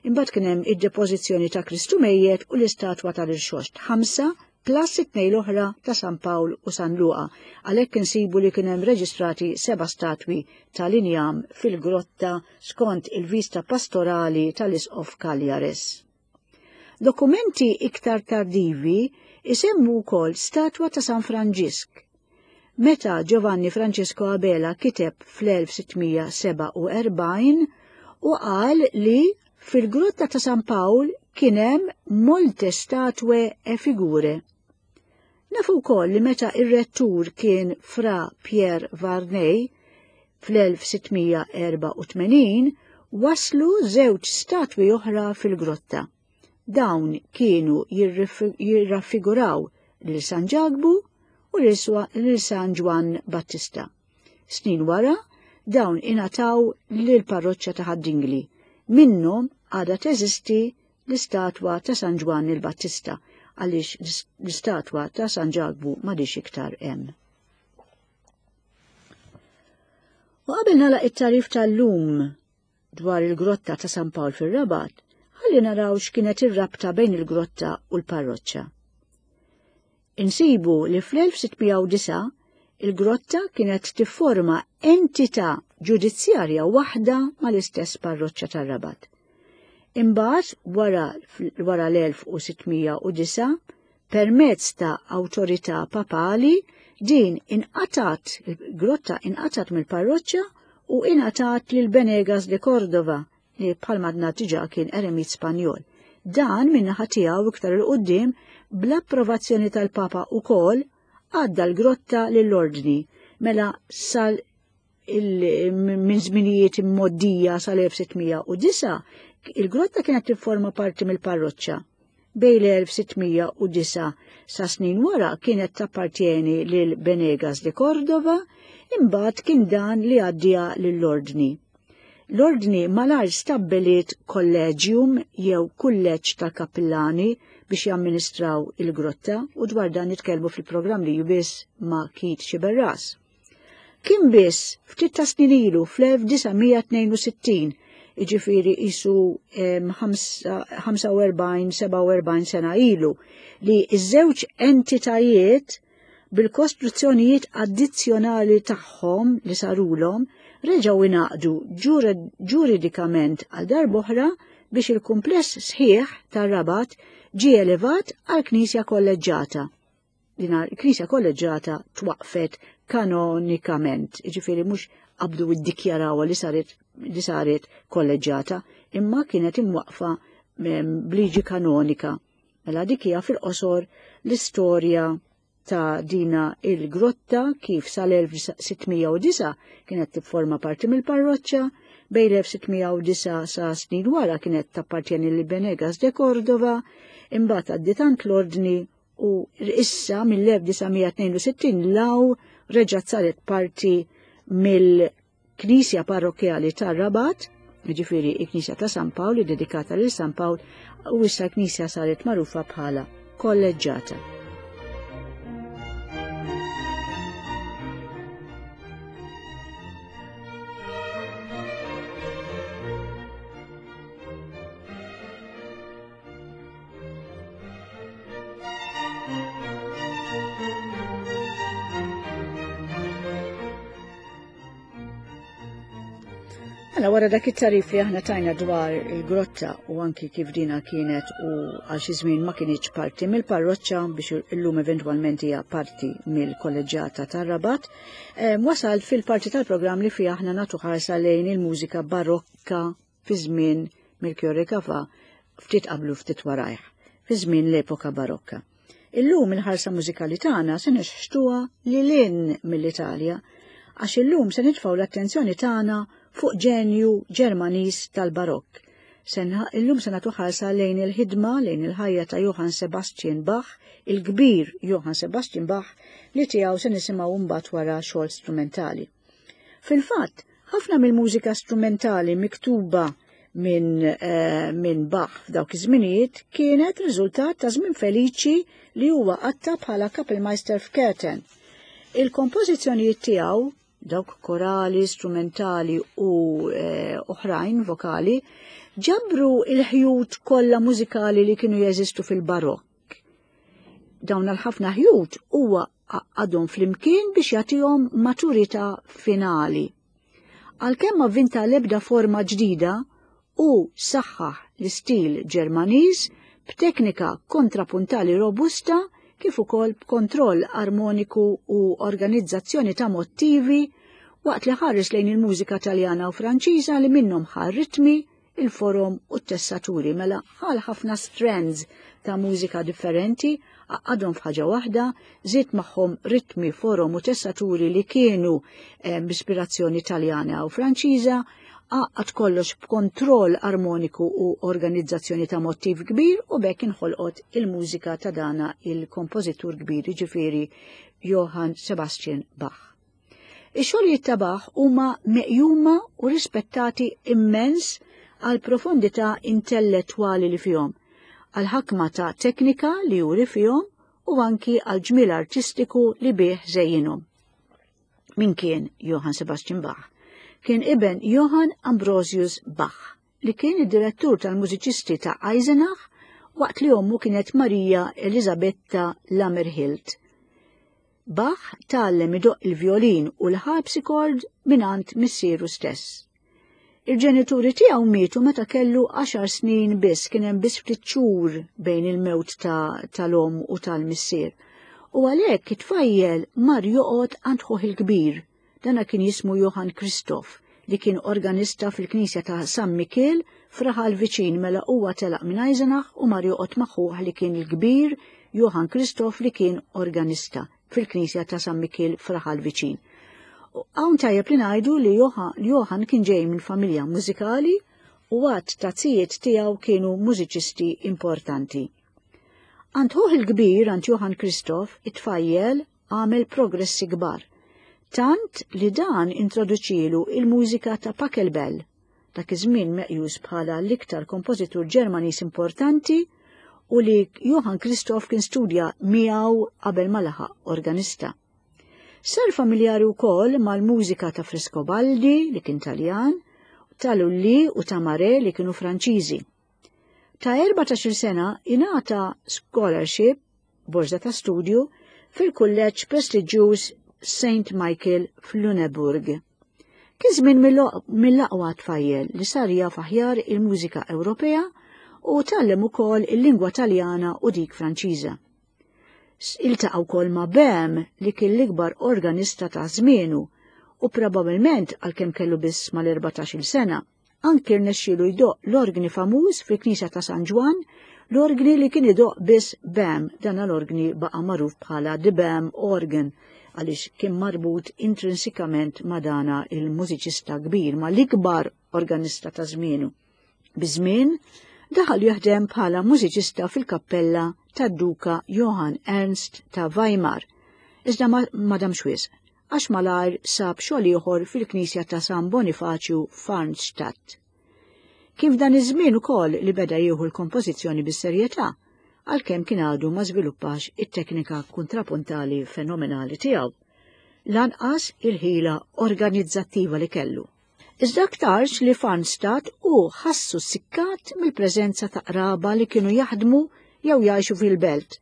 imbagħad kien hemm id-depożizzjoni ta' Kristu mejjet u l-istatwa tal-Irxoxt, ħamsa plus it-tnejn l-oħra ta' San Pawl u San Luqa. Għalhekk insibu li kien hemm reġistrati seba' statwi tal-injam fil-grotta skont il-vista pastorali tal-Isqof Cagliares. Dokumenti iktar tardivi isemmu wkoll statwa ta' San Franġisk. Meta Giovanni Francesco Abela kiteb fl-1647 u qal li fil-grotta ta' San Pawl kien hemm molte statue e figure. Nafu wkoll li meta ir-rettur kien Fra Pierre Varney fl-1684 waslu żewġ statwi oħra fil-grotta. Dawn kienu jirraffiguraw lil San Ġakbu u lil San Ġwann Battista. Snin wara, dawn ingħataw lill-parroċċa ta' Ħad-Dingli. Minnhom għadha teżisti l-istatwa ta' San Ġwann il-Battista għaliex l-istatwa ta' San Ġakbu m'għadhiex iktar hemm. U qabel nagħlaq it-tagħrif tal-lum dwar il-grotta ta' San Pawl fir-Rabat, ħalli naraw x'kienet ir-rabta bejn il-grotta u l-parroċċa. Insibu li fl-1609 il-grotta kienet tifforma entità ġudizzjarja waħda mal-istess parroċċa tar-Rabat. Imbagħad wara, wara l-1609 permezz ta' awtorità papali din inqatat, il-grotta inqatat mill-parroċċa u ingħatat lil Benegas de Cordova li bħalma għadna diġà kien eremit Spanjol. Dan min-naħa tiegħu iktar 'il quddiem bl-approvazzjoni tal-Papa ukoll għadda l-grotta lill-Ordni mela sal minn żminijiet immoddija sal-1609 il-grotta kienet tifforma parti mill-parroċċa. Bejn l-1609 sa snin wara kienet tappartjeni lil Benegas de Cordova, imbagħad kien dan li għaddieha lill-Ordni. L-Ordni malajr stabbiliet kolleġium jew kulleġġ tal-kappillani biex jamministraw il-grotta u dwar dan nitkellmu fil-programm li jmiss ma' Keith Sciberras. Kien biss ftit ta' snin ilu fl-1962, jiġifieri qisu 45-47 sena ilu, li ż-żewġ entitajiet bil-kostruzzjonijiet addizzjonali tagħhom li sarulhom reġgħu ingħaqdu ġuridikament għal darb'oħra biex il-kumpless sħiħ tar-Rabat ġie elevat għal knisja kolleġġata. Din il-knisja kolleġġata twaqqfet kanonikament, jiġifieri mhux qabdu ddikjarawha li saret li saret kolleġġata, imma kienet imwaqqfa bliġi kanonika. Mela dik hija fil-qosor l-istorja ta' dina il-grotta kif sal-1609 kienet tifforma parti mill-parroċċa, bejn l-1609 sa snin wara kienet tappartjeni lil Benegas de Cordova, imbagħad għaddiet għand l-Ordni u issa mill-1962 law reġgħet saret parti mill-Knisja Parrokkjali tar-Rabat, jiġifieri il-Knisja ta' San Pawl dedikata lil San Pawl u issa l-Knisja saret magħrufa bħala kolleġġata. Mela wara dak it-tarif li aħna tajna dwar il-grotta u anki kif dina kienet u għal xi żmien ma kienx parti mill-parroċċa biex illum eventwalment hija parti mill-kolleġġjata tar-Rabat, eh, wasal fil-parti tal-programm li fiha aħna nagħtu ħarsa lejn il-mużika barokka fi żmien Melchiorre Gafà ftit qablu ftit warajh, fi żmien l-epoka barokka. Illum il-ħarsa mużikali tagħna se nixħtuha lil hinn mill-Italja għax illum se nitfgħu l-attenzjoni tagħna fuq ġenju Ġermaniż tal-Barokk. Illum se nagħtu ħarsa lejn il-ħidma lejn il-ħajja ta' Johann Sebastian Bach, il-kbir Johann Sebastian Bach li tiegħu se nisimgħu mbagħad wara xogħol strumentali. Fil-fatt, ħafna mill-mużika strumentali miktuba minn eh, min Bach f'dawk iż-żminijiet kienet riżultat ta' żmien feliċi li huwa qatta bħala Kapellmeister f'Köthen. Il-kompożizzjonijiet tiegħu dawk korali, strumentali u eh, oħrajn vokali, ġabru il-ħjut kollha mużikali li kienu jeżistu fil-barokk. Dawn għal-ħafna ħjut huwa għaqqadhom flimkien biex jagħtihom maturità finali. Għalkemm ma vvinta l-ebda forma ġdida, hu saħħaħ l-istil Ġermaniż b'teknika kontrapuntali robusta kif ukoll b'kontroll armoniku u organizzazzjoni ta' mottivi waqt li ħares lejn il-mużika Taljana u Franċiża li minnhom ħa ritmi il-forom u t-tessaturi mela ħal ħafna strands ta' mużika differenti, għaqqadhom f'ħaġa waħda, żied magħhom ritmi, forom u tessaturi li kienu eh, b'ispirazzjoni Taljana u Franċiża, għaqqad kollox b'kontroll armoniku u organizzazzjoni ta' mottiv kbir u bekk inħolqot il-mużika ta' dana il-kompożitur kbir ġifieri Johann Sebastian Bach. Ix-xogħlijiet ta' Bach huma meqjuma u rispettati immens għall-profondità intellettwali li fihom, għall-ħakma ta' teknika li juri fihom u anki għall-ġmiel artistiku li bih żejjinhom. Min kien Johann Sebastian Bach? Kien iben Johann Ambrosius Bach, li kien id-direttur tal-mużiċisti ta' Eisenach waqt li ommu kienet Maria Elisabetta Lammerhild. Bach tgħallem idoqq il-vjolin u l-harpsichord mingħand missieru stess. Il-ġenituri tiegħu mietu meta kellu għaxar snin biss, kien hemm biss ftit xhur bejn il-mewt tal-omm u tal-missier. U għalhekk it-tfajjel mar joqgħod għand ħuh il-kbir, Dana kien jismu Johann Christoph, li kien organista fil-knisja ta' San Mikiel f'raħal viċin mela huwa telaq minn Eisenach u mar joqgħod ma' ħuh li kien il-kbir Johann Christoph li kien organista fil-knisja ta' San Mikiel f'raħal viċin. Hawn tajjeb li ngħidu li Johann kien ġej minn familja mużikali u għadd ta' zijiet tiegħu kienu mużiċisti importanti. Għand ħuh il-kbir, għand Johann Christoph, it-tfajjel għamel progressi kbar, tant li dan introduċielu il-mużika ta' Pachelbel, dak iż-żmien meqjus bħala l-iktar kompożitur Ġermaniż importanti u li Johann Christoph kien studja miegħu qabel ma laħaq organista. Sar familjari wkoll mal-mużika ta' Frescobaldi, li kien Taljan, ta' Lully u ta' Marais li kienu Franċiżi. Ta' 14-il sena ingħata scholarship, borża ta' studju, fil-kulleġġ prestiġjuż St. Michael f'Lüneburg. Kien żmien mill-aqwa tfajjel li sar jaf aħjar il-mużika Ewropea u tgħallem ukoll il-lingwa Taljana u dik Franċiża. Iltaqa' wkoll ma' Böhm li kien l-ikbar organista ta' żmienu u probabbilment għalkemm kellu biss mal-14-il sena, Anki rnexxielu jdoqq l-orgni famuż fil-Knisja ta' San Ġwann, l-orgni li kien idoqq biss Bam, dan l-orgni baqa' magħruf bħala The Bam Organ għaliex kien marbut intrinsikament ma' dana il-mużiċista kbir, ma' l-ikbar organista ta' żmienu. Biż-żmien, daħal jaħdem bħala mużiċista fil-kappella tad-Duka Johann Ernst ta' Weimar, iżda ma damx wisq. għax malajr sab xogħol ieħor fil-knisja ta' San Bonifaċju f'Arnstadt. Kien f'dan iż-żmien ukoll li beda jieħu l-kompożizzjoni bis-serjetà, għalkemm kien għadu ma żviluppax it-teknika kontrapuntali fenomenali tiegħu, lanqas il-ħila organizzattiva li kellu. Iżda aktarx li f'Arnstadt hu ħassu ssikkat mill-preżenza ta' qraba li kienu jaħdmu jew jgħixu fil-belt.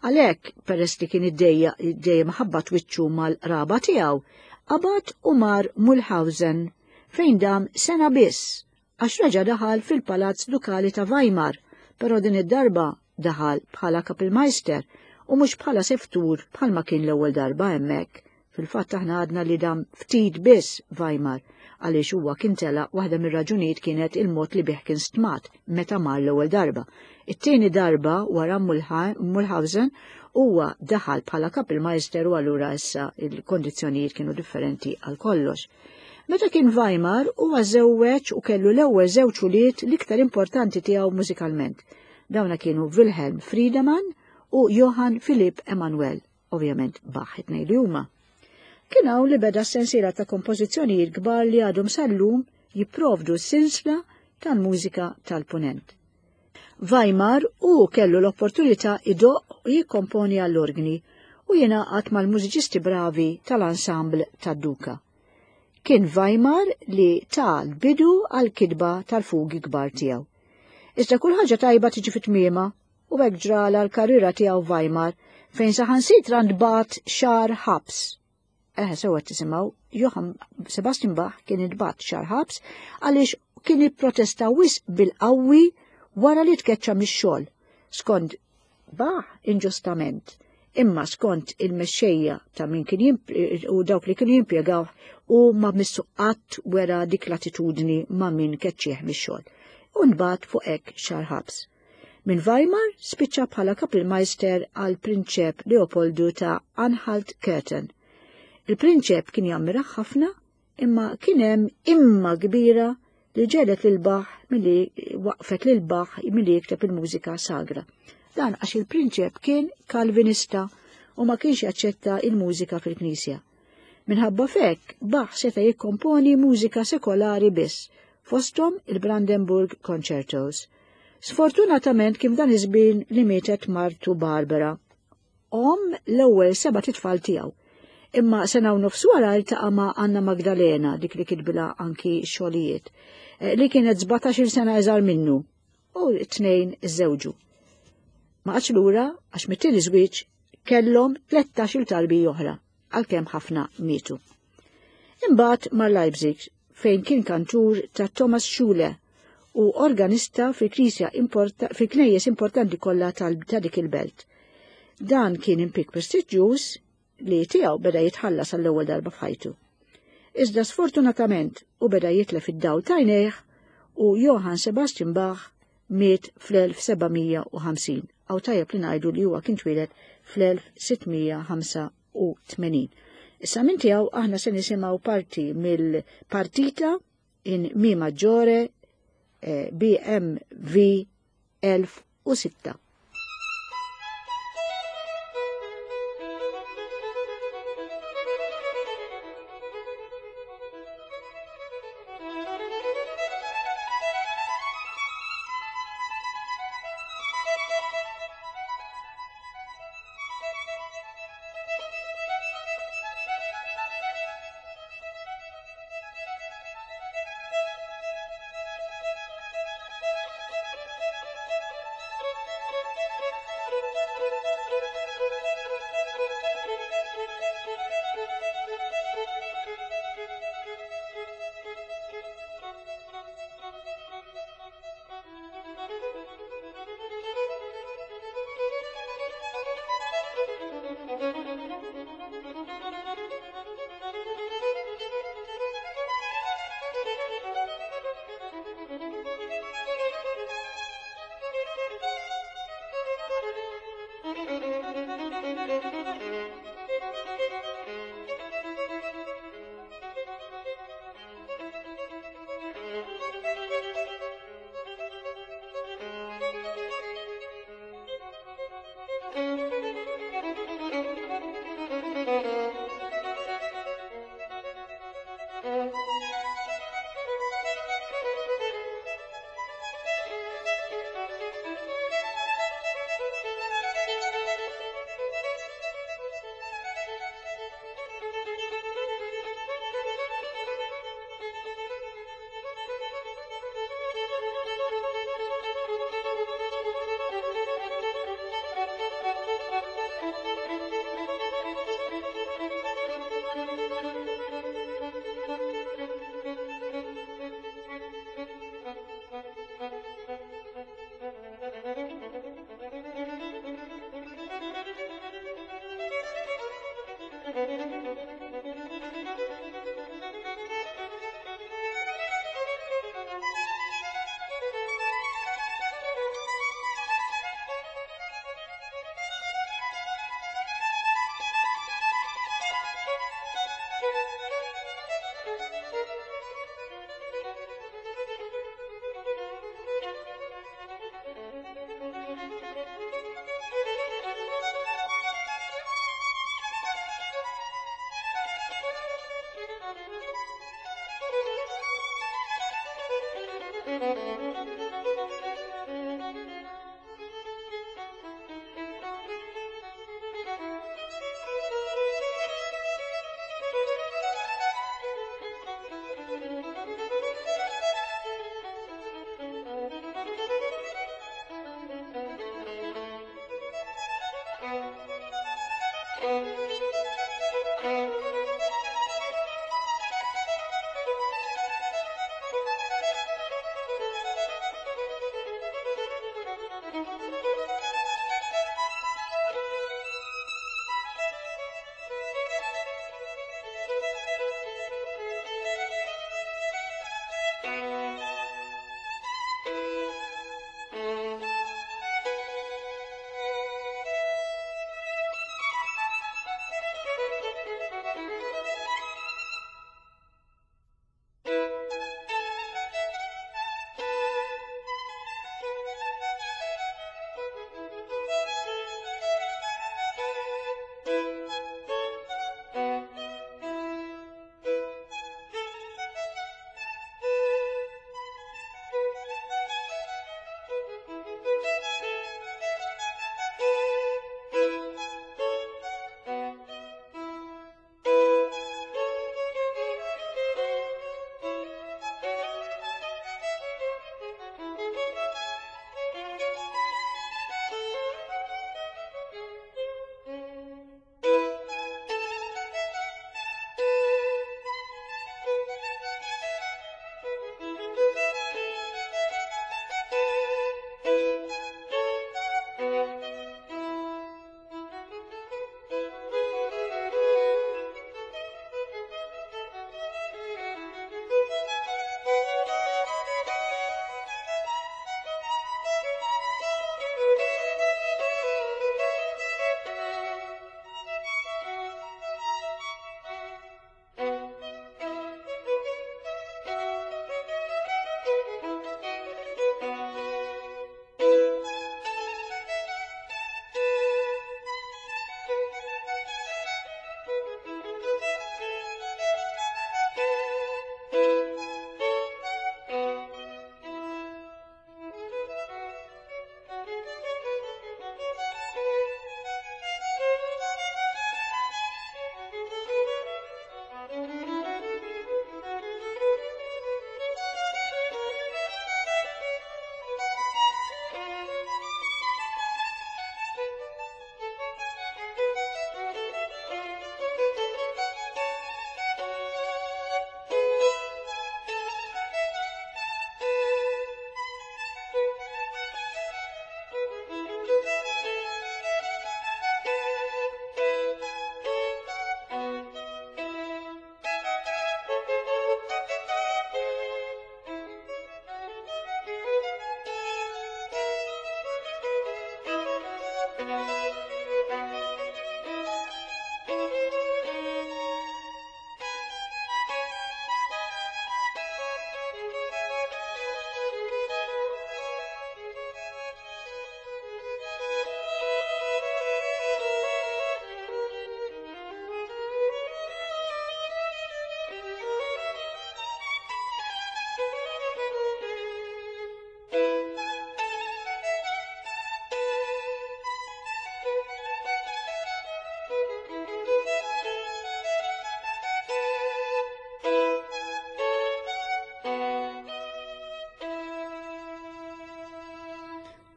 Għalhekk, peress li kien iddejjaq dejjem ħabbat wiċċu mal-qraba tiegħu, qabad u mar Mulhausen, fejn dam sena biss għax reġa' daħal fil-Palazz Dukali ta' Weimar, però din id-darba daħal bħala Kapellmeister u mhux bħala seftur bħalma kien l-ewwel darba hemmhekk. Fil-fatt aħna għadna li dam ftit biss Weimar għaliex huwa kien telaq waħda mir-raġunijiet kienet il-mod li bih kien stmat meta mar l-ewwel darba. It-tieni darba wara Mulhausen huwa daħal bħala Kapellmeister u allura issa il-kondizzjonijiet kienu differenti għal kollox. Meta kien Weimar huwa żewweġ u kellu l-ewwel żewġ ulied l-iktar importanti tiegħu mużikalment. Dawna kienu Wilhelm Friedemann u Johann Philipp Emanuel, ovvjament Bach it-tnejn li huma. Kien hawn li beda s-sensiela ta' kompożizzjonijiet kbar li għadhom sal-lum jipprovdu s-sinsla tal-mużika tal-Punent. Weimar hu kellu l-opportunità idoqq u jikkomponi għall-orgni u jingħaqad mal-mużiċisti bravi tal-ensemble tad-Duka. Kien Weimar li ta l-bidu għall-kitba tal-fugi kbar tiegħu. Iżda kull ħaġa tajba tiġi fi tmiemha u hekk ġralha l-karriera tiegħu Weimar fejn saħansitra ntbagħat xahar ħabs. Eħe, sewa tisimgħu, Johann Sebastian Bach kien intbagħat xahar ħabs għaliex kien ipprotesta wisq bil-qawwi wara li tkeċċa mix-xogħol. Skont Bach inġustament, imma skont il-mexxejja ta' min kien u dawk li kienu jimpjegaw u ma missu qatt wera dik l-attitudni ma' min keċċieħ mix-xogħol. U nbagħat fuq hekk xahar ħabs. Minn Weimar spiċċa bħala Kapellmeister għal Prinċep Leopoldu ta' Anhalt-Köthen. Il-prinċep kien jammirah ħafna imma kien hemm imma kbira li ġelet lil Bach milli waqfet lil Bach milli jikteb il-mużika sagra. Dan għax il-prinċep kien Kalvinista u ma kienx jaċċetta il-mużika fil-knisja. Minħabba f'hekk, Bach seta' jikkomponi mużika sekolari biss, fosthom il-Brandenburg Concertos. Sfortunatament kien f'dan iż-żmien li mietet martu Barbara, omm l-ewwel sebat itfal tiegħu. Imma sena u nofs wara ltaqa' ma' Anna Magdalena, dik li kitbilha anki xogħlijiet, eh, li kienet 17-il sena iżgħar minnu, u t-tnejn iżżewġu. Ma qatx lura għax mit-tieni żwieġ kellhom 13-il tarbija oħra, għalkemm ħafna mietu. Imbagħad mar Leipzig fejn kien kantur ta' Thomas Schule u organista fil-knisja fil-knejjes importanti kollha ta' dik il-belt. Dan kien impik prestiġjuż li tiegħu beda jitħallas għall-ewwel darba f'ħajtu. Iżda sfortunatament u beda jitlef id-dawl t'għajnejh u Johann Sebastian Bach miet fl-1750. Aw tajjeb li ngħidu li huwa kien twieled fl-1685. Issa minn tiegħu aħna se nisimgħu parti mill-partita in Mi Maggiore eh, BMV 1006.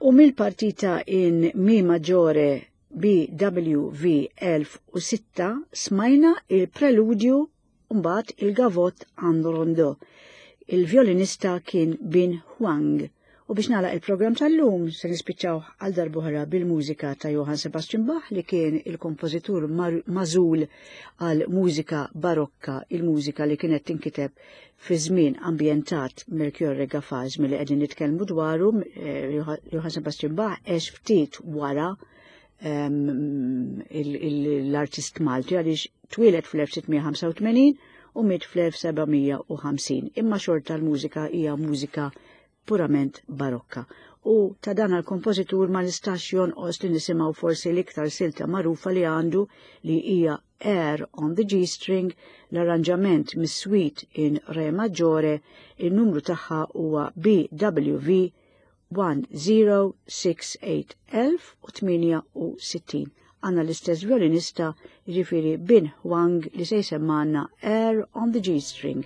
U mill-partita in Mi Maggiore BWV 1006 smajna il-preludju mbagħad il-gavot and rondo. Il-violinista kien Bin Huang. U biex nagħlaq il-programm tal-lum se nispiċċaw għal darb'oħra bil-mużika ta' Johann Sebastian Bach li kien il-kompożitur magħżul għal mużika barokka, il-mużika li kienet tinkiteb fi żmien ambjentat Melchiorre Gafà, żmien li qegħdin nitkellmu dwaru, eh, Johann Sebastian Bach għex ftit wara ehm, l-artist Malti għaliex twieled fl-1685 u miet fl-1750. Imma xorta l-mużika hija mużika purament barokka. U ta' dan għal-kompożitur ma nistax jonqos li nisimgħu forsi l-iktar silta magħrufa li għandu li hija Air on the G-string, l-arranġament mis-suite in Re Maggiore, il-numru tagħha huwa BWV 1068 1068. Għanna l-istess violinista, jiġifieri Bin Huang li se jsemmanna Air on the G-string.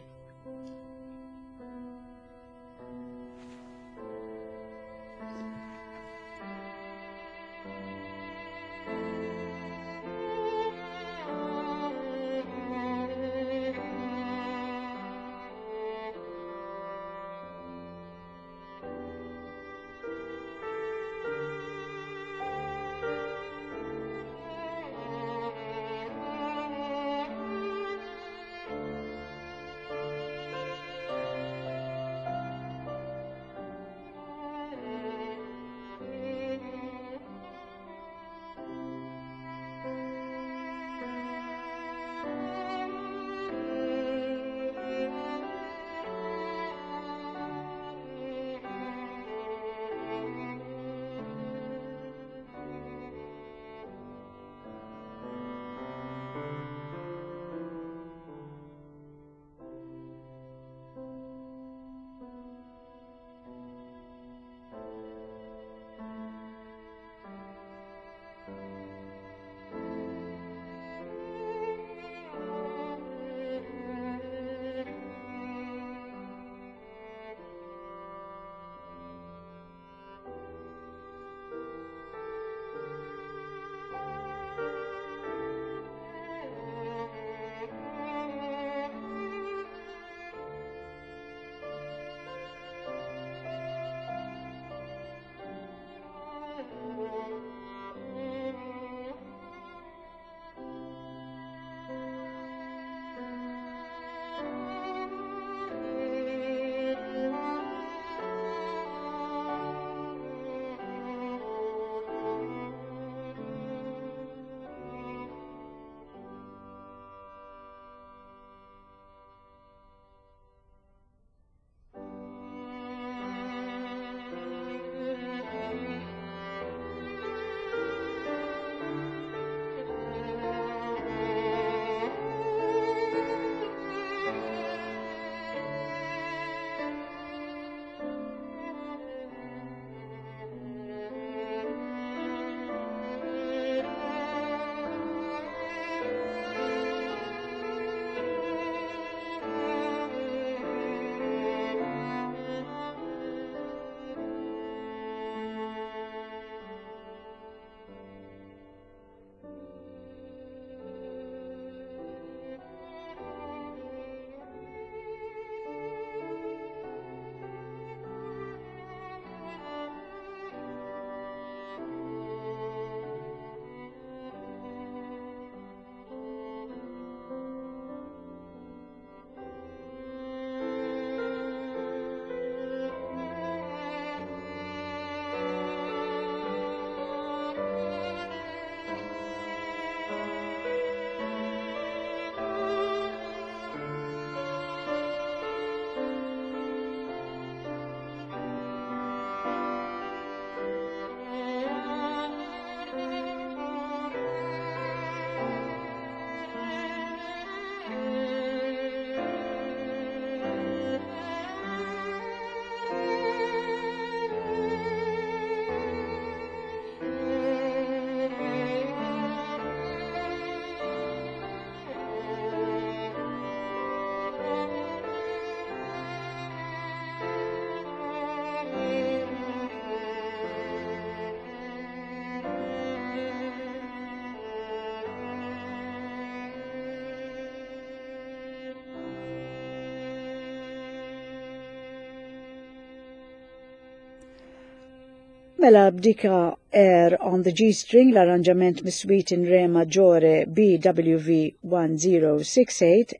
Mela b'dika Air on the G-string l-arranġament mis-suite in re maggiore BWV 1068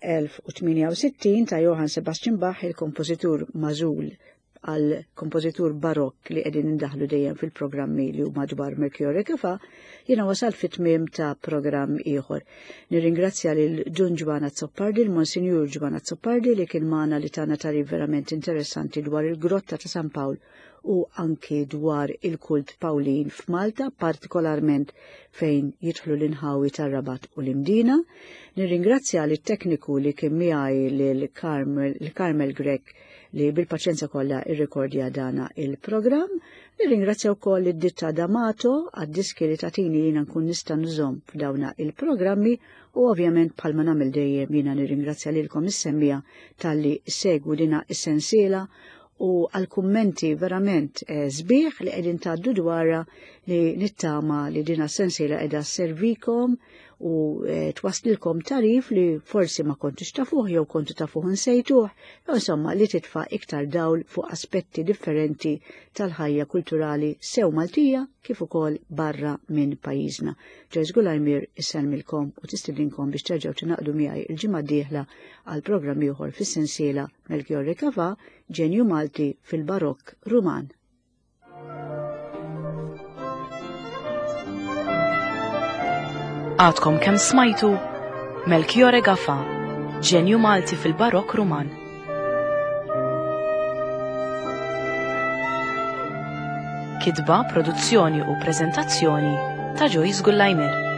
1068 ta' Johann Sebastian Bach il-kompożitur mażul għal kompożitur barokk li qegħdin indaħlu dejjem fil-programmi li huma dwar Melchiorre Gafa, jiena wasal fit-tmiem ta' programm ieħor. Nirringrazzja lil Dun Ġwana Azzopardi, il-Monsinjur Ġwana Azzopardi li kien magħna li tana tarif verament interessanti dwar il-Grotta ta' San Pawl u anki dwar il-kult Pawlin f'Malta, partikolarment fejn jidħlu l-inħawi tar-Rabat u l-Imdina. Nirringrazzja lit tekniku li kien miegħi lil Carmel Grech li bil-paċenza kollha irrekordja dana il-programm. Nirringrazzja wkoll id-ditta D'Amato għad-diski li tatini jiena nkun nista' nużhom f'dawna il-programmi u ovvjament bħalma nagħmel dejjem jiena nirringrazzja lilkom is-semmija talli segwu dina is-sensiela u għal kummenti verament eh, sbieħ li qegħdin tgħaddu dwarha li nittama li dina sensiela qiegħda servikom u eh, twaslilkom tarif li forsi ma kontux tafuh jew kontu tafuh nsejtuh, jew insomma li titfa' iktar dawl fuq aspetti differenti tal-ħajja kulturali sew Maltija kif ukoll barra minn pajjiżna. Joyce Gulajmir isselmilkom u tistidinkom biex terġgħu tingħaqdu miegħi il-ġimgħa d-dieħla għal programm ieħor fis-sensiela Melchiorre Cavà, ġenju Malti fil-Barokk Ruman. Għadkom kemm smajtu Melchiorre Gafà, ġenju Malti fil-Barokk Ruman. Kitba, produzzjoni u preżentazzjoni ta' Joyce Gullajmer.